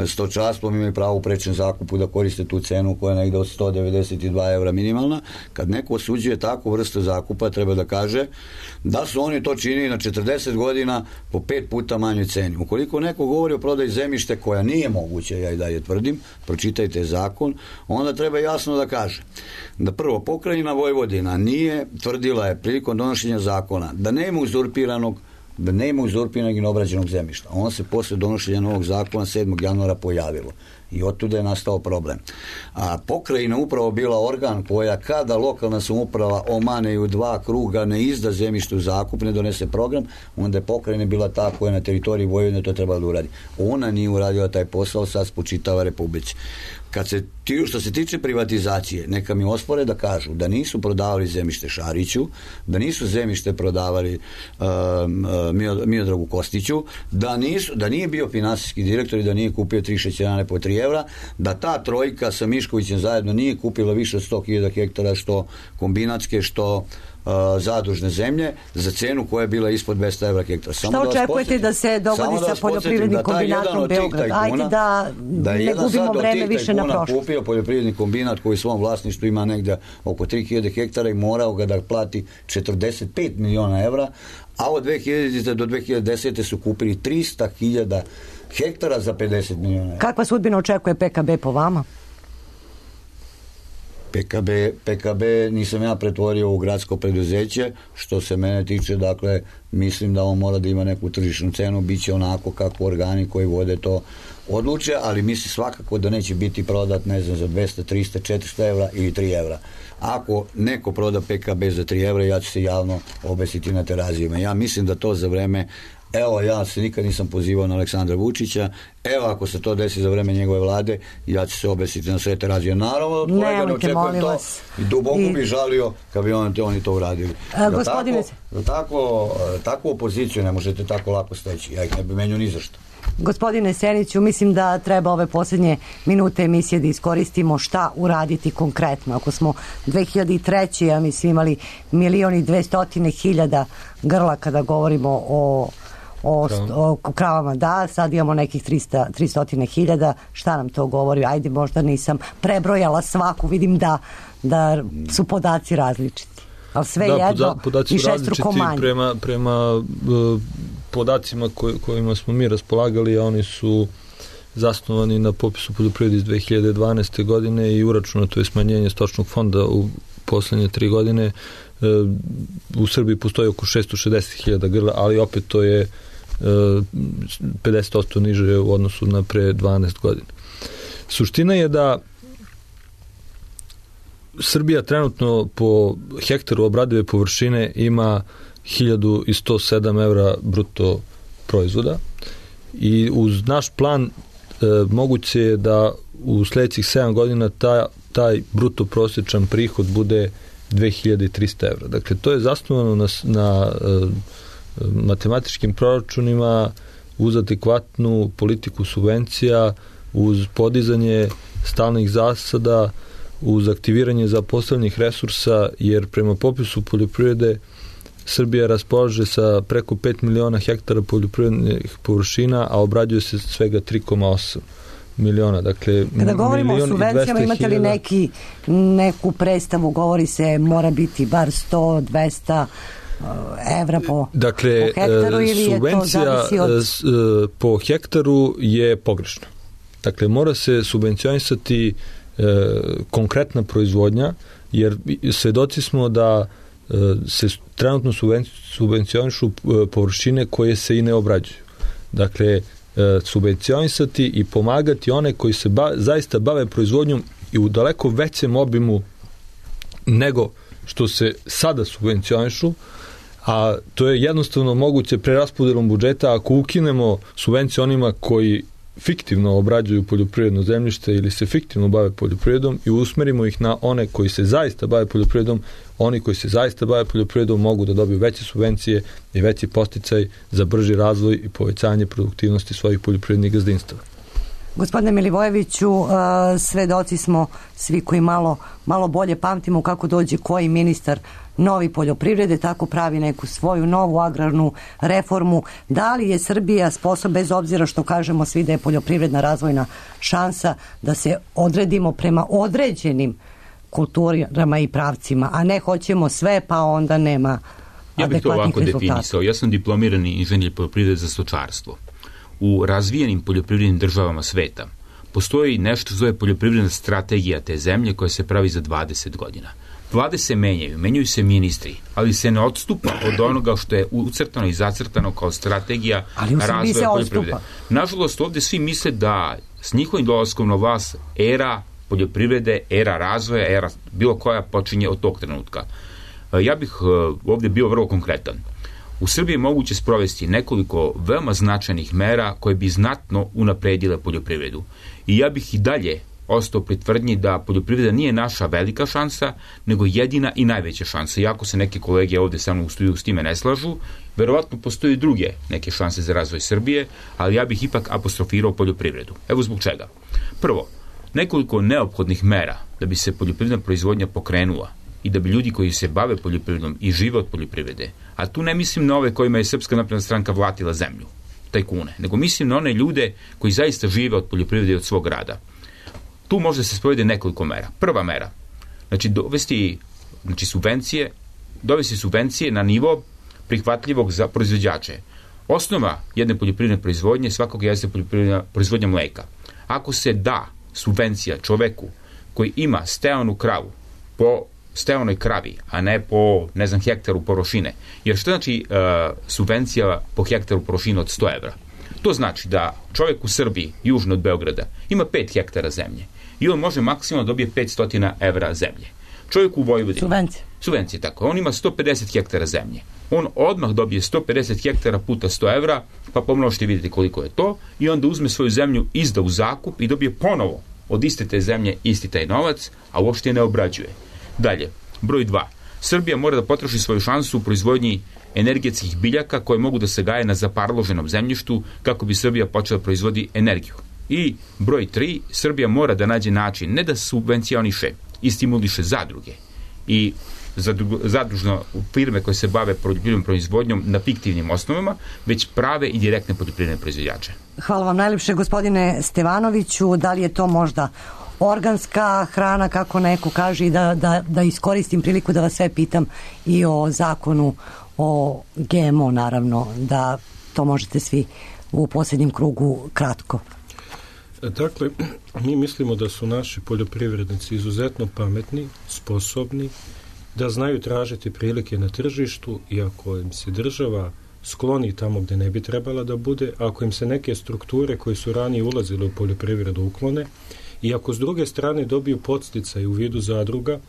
stočarstvom imaju pravo u prečem zakupu da koriste tu cenu koja je negde od sto devedeset dva evra minimalna. Kad neko osuđuje takvu vrstu zakupa, treba da kaže da su oni to činili na četrdeset godina po pet puta manjoj ceni. Ukoliko neko govori o prodaji zemljište koja nije moguće, ja i dalje tvrdim, pročitajte zakon, onda treba jasno da kaže da prvo, pokrajina Vojvodina nije, tvrdila je prilikom donošenja zakona, da nema uzurpiranog da nema uzurpiranog i neobrađenog zemljišta. Ono se posle donošenja novog zakona sedmog januara pojavilo i otuda je nastao problem. A pokrajina upravo bila organ koja kada lokalna samouprava omane i u dva kruga ne izda zemljište u zakup, ne donese program, onda je pokrajina bila ta koja na teritoriji Vojvodine to trebala da uradi. Ona nije uradila taj posao, sad spočitava Republici. Kad se, što se tiče privatizacije, neka mi ospore da kažu da nisu prodavali zemljište Šariću, da nisu zemljište prodavali uh, Miodragu Kostiću, da, nisu, da nije bio finansijski direktor i da nije kupio tri šećerane po tri evra, da ta trojka sa Miškovićem zajedno nije kupila više od sto hiljada hektara, što kombinatske, što uh, zadužne zemlje, za cenu koja je bila ispod dvesta evra hektara. Samo šta da očekujete da se dogodi sa poljoprivrednim da kombinatom Beograd? Ajde da, da ne gubimo vreme više na prošlost. Kupio poljoprivredni kombinat koji u svom vlasništvu ima negde oko tri hiljade hektara i morao ga da plati četrdeset pet miliona evra, a od dve hiljadite do dve hiljade desete su kupili trista hiljada hektara za pedeset miliona evra. Kakva sudbina očekuje P K B po vama? P K B, P K B nisam ja pretvorio u gradsko preduzeće, što se mene tiče, dakle, mislim da on mora da ima neku tržišnu cenu, bit će onako kako organi koji vode to odluče, ali mislim svakako da neće biti prodat, ne znam, za dvesta, trista, četiristo evra ili tri evra. Ako neko proda P K B za tri evra, ja ću se javno obesiti na terazijima. Ja mislim da to za vreme, evo, ja se nikad nisam pozivao na Aleksandra Vučića, evo, ako se to desi za vreme njegove vlade, ja ću se obesiti na sve terazije. Naravno, kolega ne očekujem to i duboko I... bi žalio kad bi on, oni to uradili. A, gospodine... Tako, tako, takvu opoziciju ne možete tako lako steći. Ja ih ne bi menio ni za što. Gospodine Seniću, mislim da treba ove posljednje minute emisije da iskoristimo šta uraditi konkretno. Ako smo dve hiljade treće. ja mislim imali milion i dvestotine hiljada grla kada govorimo o, o, o kravama, da, sad imamo nekih trista, tristo hiljada, šta nam to govori? Ajde, možda nisam prebrojala svaku, vidim da, da su podaci različiti. Ali sve da, jedno podaci i šestruko manje. Prema, prema uh, podacima koj, kojima smo mi raspolagali, a oni su zasnovani na popisu poljoprivrede iz dve hiljade dvanaeste. godine i uračunato je smanjenje stočnog fonda u poslednje tri godine. Uh, u Srbiji postoji oko šesto šezdeset hiljada grla, ali opet to je uh, pedeset posto niže u odnosu na pre dvanaest godina. Suština je da Srbija trenutno po hektaru obradive površine ima hiljadu sto sedam evra bruto proizvoda i uz naš plan e, moguće je da u sledećih sedam godina ta, taj bruto prosječan prihod bude dve hiljade trista evra. Dakle, to je zasnovano na, na e, matematičkim proračunima uz adekvatnu politiku subvencija, uz podizanje stalnih zasada, uz aktiviranje zaposlenih resursa, jer prema popisu poljoprivrede Srbija raspolaže sa preko pet miliona hektara poljoprivrednih površina, a obrađuje se svega tri zarez osam miliona. Dakle, kada govorimo o subvencijama, imate li neki, neku predstavu, govori se mora biti bar sto do dvesta evra po, dakle, po hektaru ili je to zavisi od... Subvencija po hektaru je pogrešna. Dakle, mora se subvencionisati konkretna proizvodnja, jer svedoci smo da se trenutno subvencionišu površine koje se i ne obrađuju. Dakle, subvencionisati i pomagati one koji se ba, zaista bave proizvodnjom i u daleko većem obimu nego što se sada subvencionišu, a to je jednostavno moguće preraspodelom budžeta ako ukinemo subvencije onima koji fiktivno obrađuju poljoprivredno zemljište ili se fiktivno bave poljoprivredom i usmerimo ih na one koji se zaista bave poljoprivredom. Oni koji se zaista bave poljoprivredom mogu da dobiju veće subvencije i veći podsticaj za brži razvoj i povećanje produktivnosti svojih poljoprivrednih gazdinstava. Gospodine Milivojeviću, svedoci smo svi koji malo, malo bolje pamtimo kako dođe koji ministar novi poljoprivrede, tako pravi neku svoju novu agrarnu reformu. Da li je Srbija sposobna, bez obzira što kažemo svi da je poljoprivredna razvojna šansa, da se odredimo prema određenim kulturama i pravcima, a ne hoćemo sve, pa onda nema ja bih to ovako rezultata. definisao. Ja sam diplomirani inženjer poljoprivrede za stočarstvo. U razvijenim poljoprivrednim državama sveta postoji nešto zove poljoprivredna strategija te zemlje koja se pravi za dvadeset godina. Vlade se menjaju, menjaju se ministri, ali se ne odstupa od onoga što je ucrtano i zacrtano kao strategija razvoja poljoprivrede. Nažalost, ovde svi misle da s njihovim dolaskom na vlast era poljoprivrede, era razvoja, era bilo koja počinje od tog trenutka. Ja bih ovde bio vrlo konkretan. U Srbiji je moguće sprovesti nekoliko veoma značajnih mera koje bi znatno unapredile poljoprivredu. I ja bih i dalje ostao pri tvrdnji da poljoprivreda nije naša velika šansa, nego jedina i najveća šansa. Iako se neke kolege ovde sa mnom u studiju s time ne slažu, verovatno postoji druge neke šanse za razvoj Srbije, ali ja bih ipak apostrofirao poljoprivredu. Evo zbog čega. Prvo, nekoliko neophodnih mera da bi se poljoprivredna proizvodnja pokrenula i da bi ljudi koji se bave poljoprivredom i žive od poljoprivrede, a tu ne mislim na ove kojima je Srpska napredna stranka vlatila zemlju, tajkune, nego mislim na one ljude koji zaista žive od poljoprivrede i od svog rada. Tu može se sprovede nekoliko mera. Prva mera, znači dovesti znači subvencije, dovesti subvencije na nivo prihvatljivog za proizvođače. Osnova jedne poljoprivredne proizvodnje svakog jeste poljoprivredna proizvodnja mleka. Ako se da subvencija čoveku koji ima steonu kravu po steonoj kravi, a ne po, ne znam, hektaru površine. Jer što znači uh, subvencija po hektaru površine od sto evra? To znači da čovjek u Srbiji, južno od Beograda, ima pet hektara zemlje i on može maksimalno dobije petsto evra zemlje. Čovjek u Vojvodini... Subvencije. Subvencije, tako. On ima sto pedeset hektara zemlje. On odmah dobije sto pedeset hektara puta sto evra, pa pomnožite vidjeti koliko je to, i onda uzme svoju zemlju, izda u zakup i dobije ponovo od iste te zemlje isti taj novac, a uopšte ne obrađuje. Dalje, broj dva. Srbija mora da potroši svoju šansu u proizvodnji energetskih biljaka koje mogu da se gaje na zaparloženom zemljištu kako bi Srbija počela da proizvodi energiju. I broj tri. Srbija mora da nađe način ne da subvencioniše i stimuliše zadruge i zadružno firme koje se bave poljoprivrednom proizvodnjom na fiktivnim osnovama, već prave i direktne poljoprivredne proizvođače. Hvala vam najlepše, gospodine Stevanoviću. Da li je to možda organska hrana, kako neko kaže, i da, da, da iskoristim priliku da vas sve pitam i o zakonu o G M O, naravno, da to možete svi u posljednjem krugu kratko. Dakle, mi mislimo da su naši poljoprivrednici izuzetno pametni, sposobni, da znaju tražiti prilike na tržištu, i ako im se država skloni tamo gde ne bi trebala da bude, ako im se neke strukture koje su ranije ulazile u poljoprivredu uklone, i ako s druge strane dobiju podsticaj u vidu zadruga,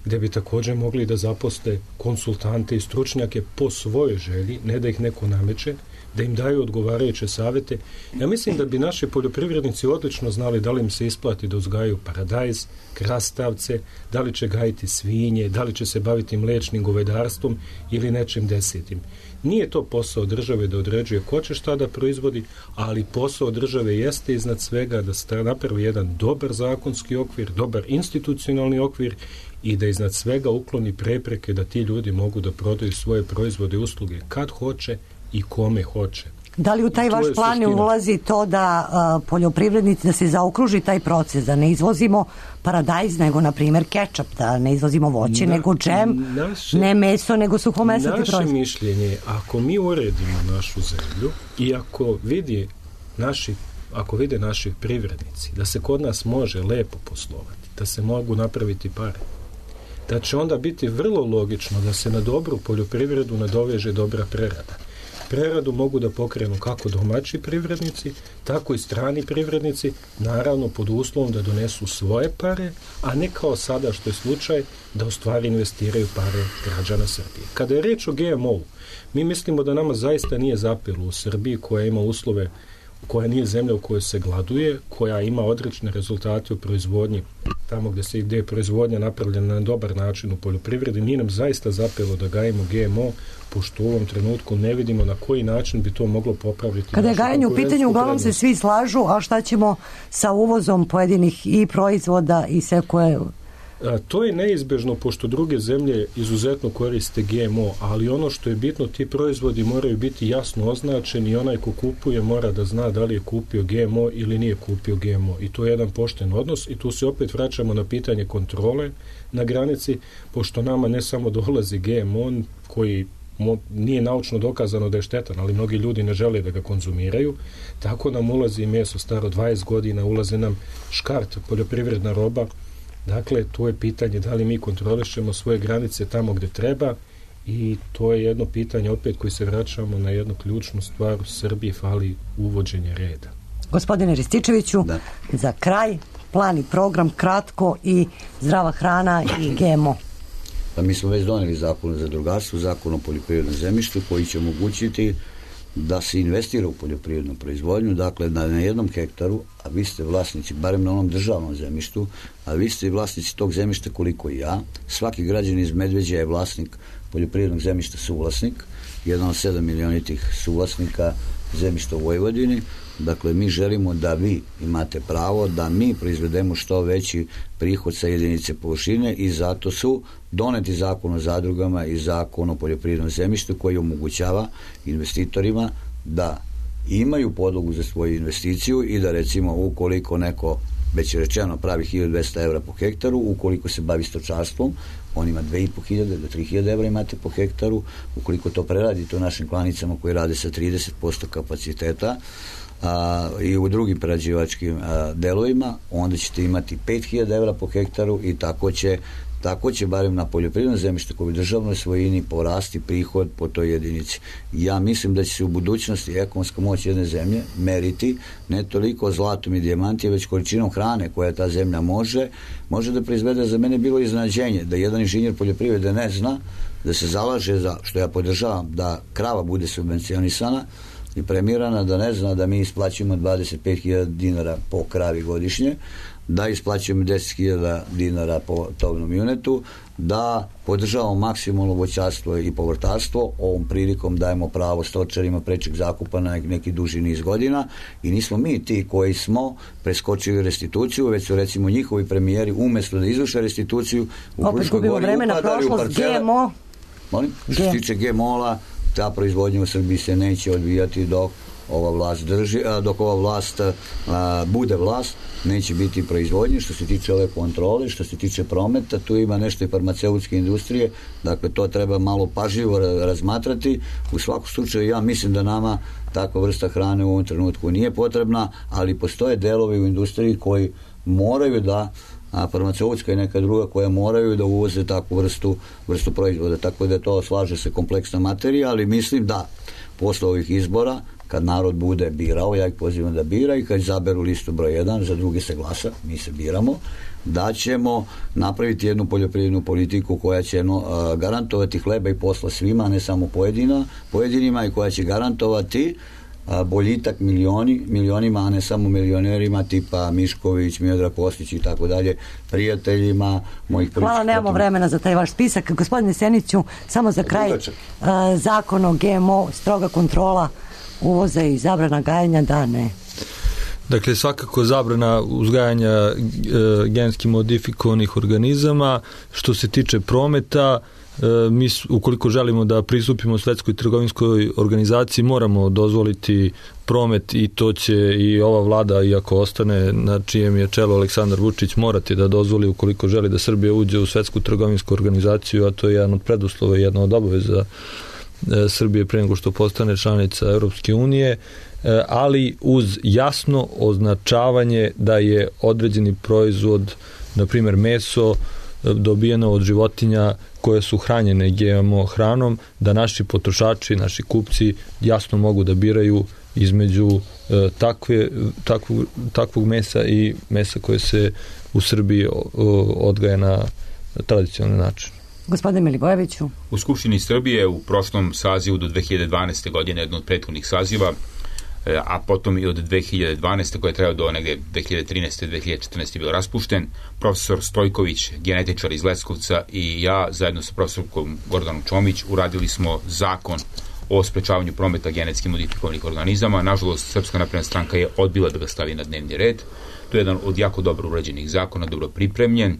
gde bi također mogli da zaposle konsultante i stručnjake po svojoj želji, ne da ih neko nameće, da im daju odgovarajuće savete. Ja mislim da bi naši poljoprivrednici odlično znali da li im se isplati da uzgajaju paradajz, krastavce, da li će gajiti svinje, da li će se baviti mlečnim govedarstvom ili nečim desetim. Nije to posao države da određuje ko će šta da proizvodi, ali posao države jeste iznad svega da napravi jedan dobar zakonski okvir, dobar institucionalni okvir i da iznad svega ukloni prepreke da ti ljudi mogu da prodaju svoje proizvode i usluge kad hoće i kome hoće. Da li u taj vaš plan ne ulazi to da a, poljoprivrednici, da se zaokruži taj proces, da ne izvozimo paradajz, nego na primjer kečap, da ne izvozimo voće, na, nego džem, naše, ne meso, nego suhomesnati proizvod? Naše mišljenje je, ako mi uredimo našu zemlju i ako vidi naši, ako vide naši privrednici da se kod nas može lepo poslovati, da se mogu napraviti pare, da će onda biti vrlo logično da se na dobru poljoprivredu nadoveže dobra prerada. Preradu mogu da pokrenu kako domaći privrednici, tako i strani privrednici, naravno pod uslovom da donesu svoje pare, a ne kao sada što je slučaj da u stvari investiraju pare građana Srbije. Kada je reč o G M O-u, mi mislimo da nama zaista nije zapelo u Srbiji, koja ima uslove, koja nije zemlja u kojoj se gladuje, koja ima odlične rezultate u proizvodnji, tamo gde se gde je proizvodnja napravljena na dobar način u poljoprivredi, nije nam zaista zapelo da gajimo G M O, pošto u ovom trenutku ne vidimo na koji način bi to moglo popraviti. Kada je gajanje u pitanju, uglavnom se svi slažu, a šta ćemo sa uvozom pojedinih i proizvoda i sve koje... A, to je neizbežno, pošto druge zemlje izuzetno koriste G M O, ali ono što je bitno, ti proizvodi moraju biti jasno označeni i onaj ko kupuje mora da zna da li je kupio G M O ili nije kupio G M O. I to je jedan pošten odnos i tu se opet vraćamo na pitanje kontrole na granici, pošto nama ne samo dolazi G M O koji mo, nije naučno dokazano da je štetan, ali mnogi ljudi ne žele da ga konzumiraju, tako nam ulazi meso staro dvadeset godina, ulazi nam škart, poljoprivredna roba. Dakle, to je pitanje da li mi kontrolišemo svoje granice tamo gde treba, i to je jedno pitanje opet koji se vraćamo na jednu ključnu stvar. U Srbiji fali uvođenje reda. Gospodine Rističeviću, da. Za kraj, plan i program kratko i zdrava hrana i G M O. Pa mi smo već doneli zakon o zadrugarstvu, zakon o poljoprivrednom zemljištu koji će omogućiti da se investira u poljoprivrednu proizvodnju, dakle da na jednom hektaru, a vi ste vlasnici, barem na onom državnom zemljištu, a vi ste vlasnici tog zemljišta koliko i ja, svaki građanin iz Medveđa je vlasnik poljoprivrednog zemljišta, suvlasnik, jedan od sedam milionitih suvlasnika zemljišta u Vojvodini. Dakle, mi želimo da vi imate pravo da mi proizvedemo što veći prihod sa jedinice površine, i zato su doneti zakon o zadrugama i zakon o poljoprivrednom zemljištu koji omogućava investitorima da imaju podlogu za svoju investiciju i da, recimo, ukoliko neko, već je rečeno, pravi hiljadu dvesta evra po hektaru, ukoliko se bavi stočarstvom, on ima dve i po hiljade do tri hiljade evra imate po hektaru. Ukoliko to preradite u našim klanicama koji rade sa trideset posto kapaciteta, a, i u drugim prerađivačkim a, delovima, onda ćete imati pet hiljada evra po hektaru, i tako će tako će barem na poljoprivredno zemljište koje u državnoj svojini porasti prihod po toj jedinici. Ja mislim da će se u budućnosti ekonomska moć jedne zemlje meriti ne toliko zlatom i dijamantima, već količinom hrane koja ta zemlja može, može da proizvede. Za mene bilo iznenađenje da jedan inženjer poljoprivrede ne zna da se zalaže za, što ja podržavam, da krava bude subvencionisana i premirana, da ne zna da mi isplaćujemo dvadeset pet hiljada dinara po kravi godišnje, da isplaćujemo deset hiljada dinara po tovnom junetu, da podržavamo maksimalno voćarstvo i povrtarstvo. Ovom prilikom dajemo pravo stočarima prečeg zakupa na neki duži niz godina i nismo mi ti koji smo preskočili restituciju, već su recimo njihovi premijeri umjesto da izvrše restituciju u Fruškoj gori upadali u parcele. Molim? Što se tiče G M O-a, ta proizvodnja u Srbiji se neće odvijati dok ova vlast drži, dok ova vlast a, bude vlast, neće biti proizvodnje. Što se tiče ove kontrole, što se tiče prometa, tu ima nešto i farmaceutske industrije, dakle to treba malo pažljivo razmatrati. U svakom slučaju ja mislim da nama takva vrsta hrane u ovom trenutku nije potrebna, ali postoje delovi u industriji koji moraju da, a farmaceutska i neka druga koja moraju da uvoze takvu vrstu, vrstu proizvoda, tako da to slaže se kompleksna materija, ali mislim da posle ovih izbora, kad narod bude birao, ja ih pozivam da bira, i kad izaberu listu broj jedan, za drugi se glasa, mi se biramo, da ćemo napraviti jednu poljoprivrednu politiku koja će no, uh, garantovati hleba i posla svima, a ne samo pojedina, pojedinima, i koja će garantovati uh, boljitak milioni, milionima, a ne samo milionerima tipa Mišković, Miodrag Kostić i tako dalje, prijateljima mojih političkih. Hvala, nemamo vremena za taj vaš spisak. Gospodine Seniću, samo za kraj, uh, zakon o G M O, stroga kontrola uvoza i zabrana gajanja, da, ne? Dakle, svakako zabrana uzgajanja e, genski modifikovanih organizama. Što se tiče prometa, e, mi ukoliko želimo da pristupimo Svetskoj trgovinskoj organizaciji, moramo dozvoliti promet, i to će i ova vlada, iako ostane na čijem je čelu Aleksandar Vučić, morati da dozvoli ukoliko želi da Srbija uđe u Svetsku trgovinsku organizaciju, a to je jedan od preduslova i jedna od obaveza Srbije pre nego što postane članica Europske unije, ali uz jasno označavanje da je određeni proizvod, na primjer meso, dobijeno od životinja koje su hranjene G M O hranom, da naši potrošači, naši kupci jasno mogu da biraju između takve, takvog, takvog mesa i mesa koje se u Srbiji odgaja na tradicionalni način. Gospodine Milivojeviću. U Skupštini Srbije u prošlom sazivu do dve hiljade dvanaeste. godine, jedno od prethodnih saziva, a potom i od dve hiljade dvanaeste. koja je trebao do negde dve hiljade trinaeste. dve hiljade četrnaeste. bio raspušten, profesor Stojković, genetičar iz Leskovca, i ja zajedno sa profesorkom Gordanom Čomić uradili smo zakon o sprečavanju prometa genetski modifikovanih organizama. Nažalost, Srpska napredna stranka je odbila da ga stavi na dnevni red. To je jedan od jako dobro urađenih zakona, dobro pripremljen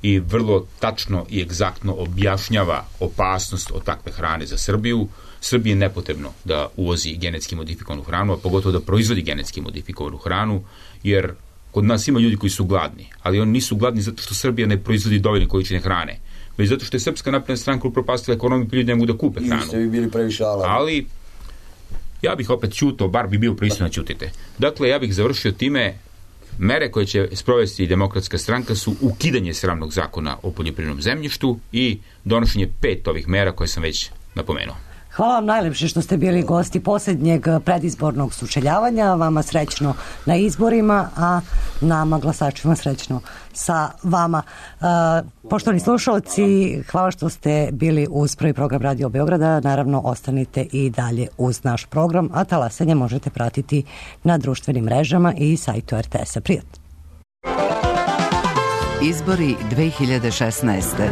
i vrlo tačno i egzaktno objašnjava opasnost od takve hrane za Srbiju. Srbiji je nepotrebno da uvozi genetski modifikovanu hranu, a pogotovo da proizvodi genetski modifikovanu hranu, jer kod nas ima ljudi koji su gladni, ali oni nisu gladni zato što Srbija ne proizvodi dovoljne količine hrane, već zato što je Srpska napredna stranka upropastila ekonomiju, pa ljudi ne mogu da kupe hranu. I ste vi bili previše alarmi. Ali ja bih opet ćutao, bar bi bio pristojno da ćutite. Dakle, ja bih završio time. Mere koje će sprovesti Demokratska stranka su ukidanje sramnog zakona o poljoprivrednom zemljištu i donošenje pet ovih mera koje sam već napomenuo. Hvala vam najlepše što ste bili gosti posljednjeg predizbornog sučeljavanja. Vama srećno na izborima, a nama glasačima srećno sa vama. Uh, poštovani slušalci, hvala što ste bili uz prvi program Radio Beograda. Naravno, ostanite i dalje uz naš program, a talasanje možete pratiti na društvenim mrežama i sajtu R T S-a. Prijatno. Izbori dve hiljade šesnaeste.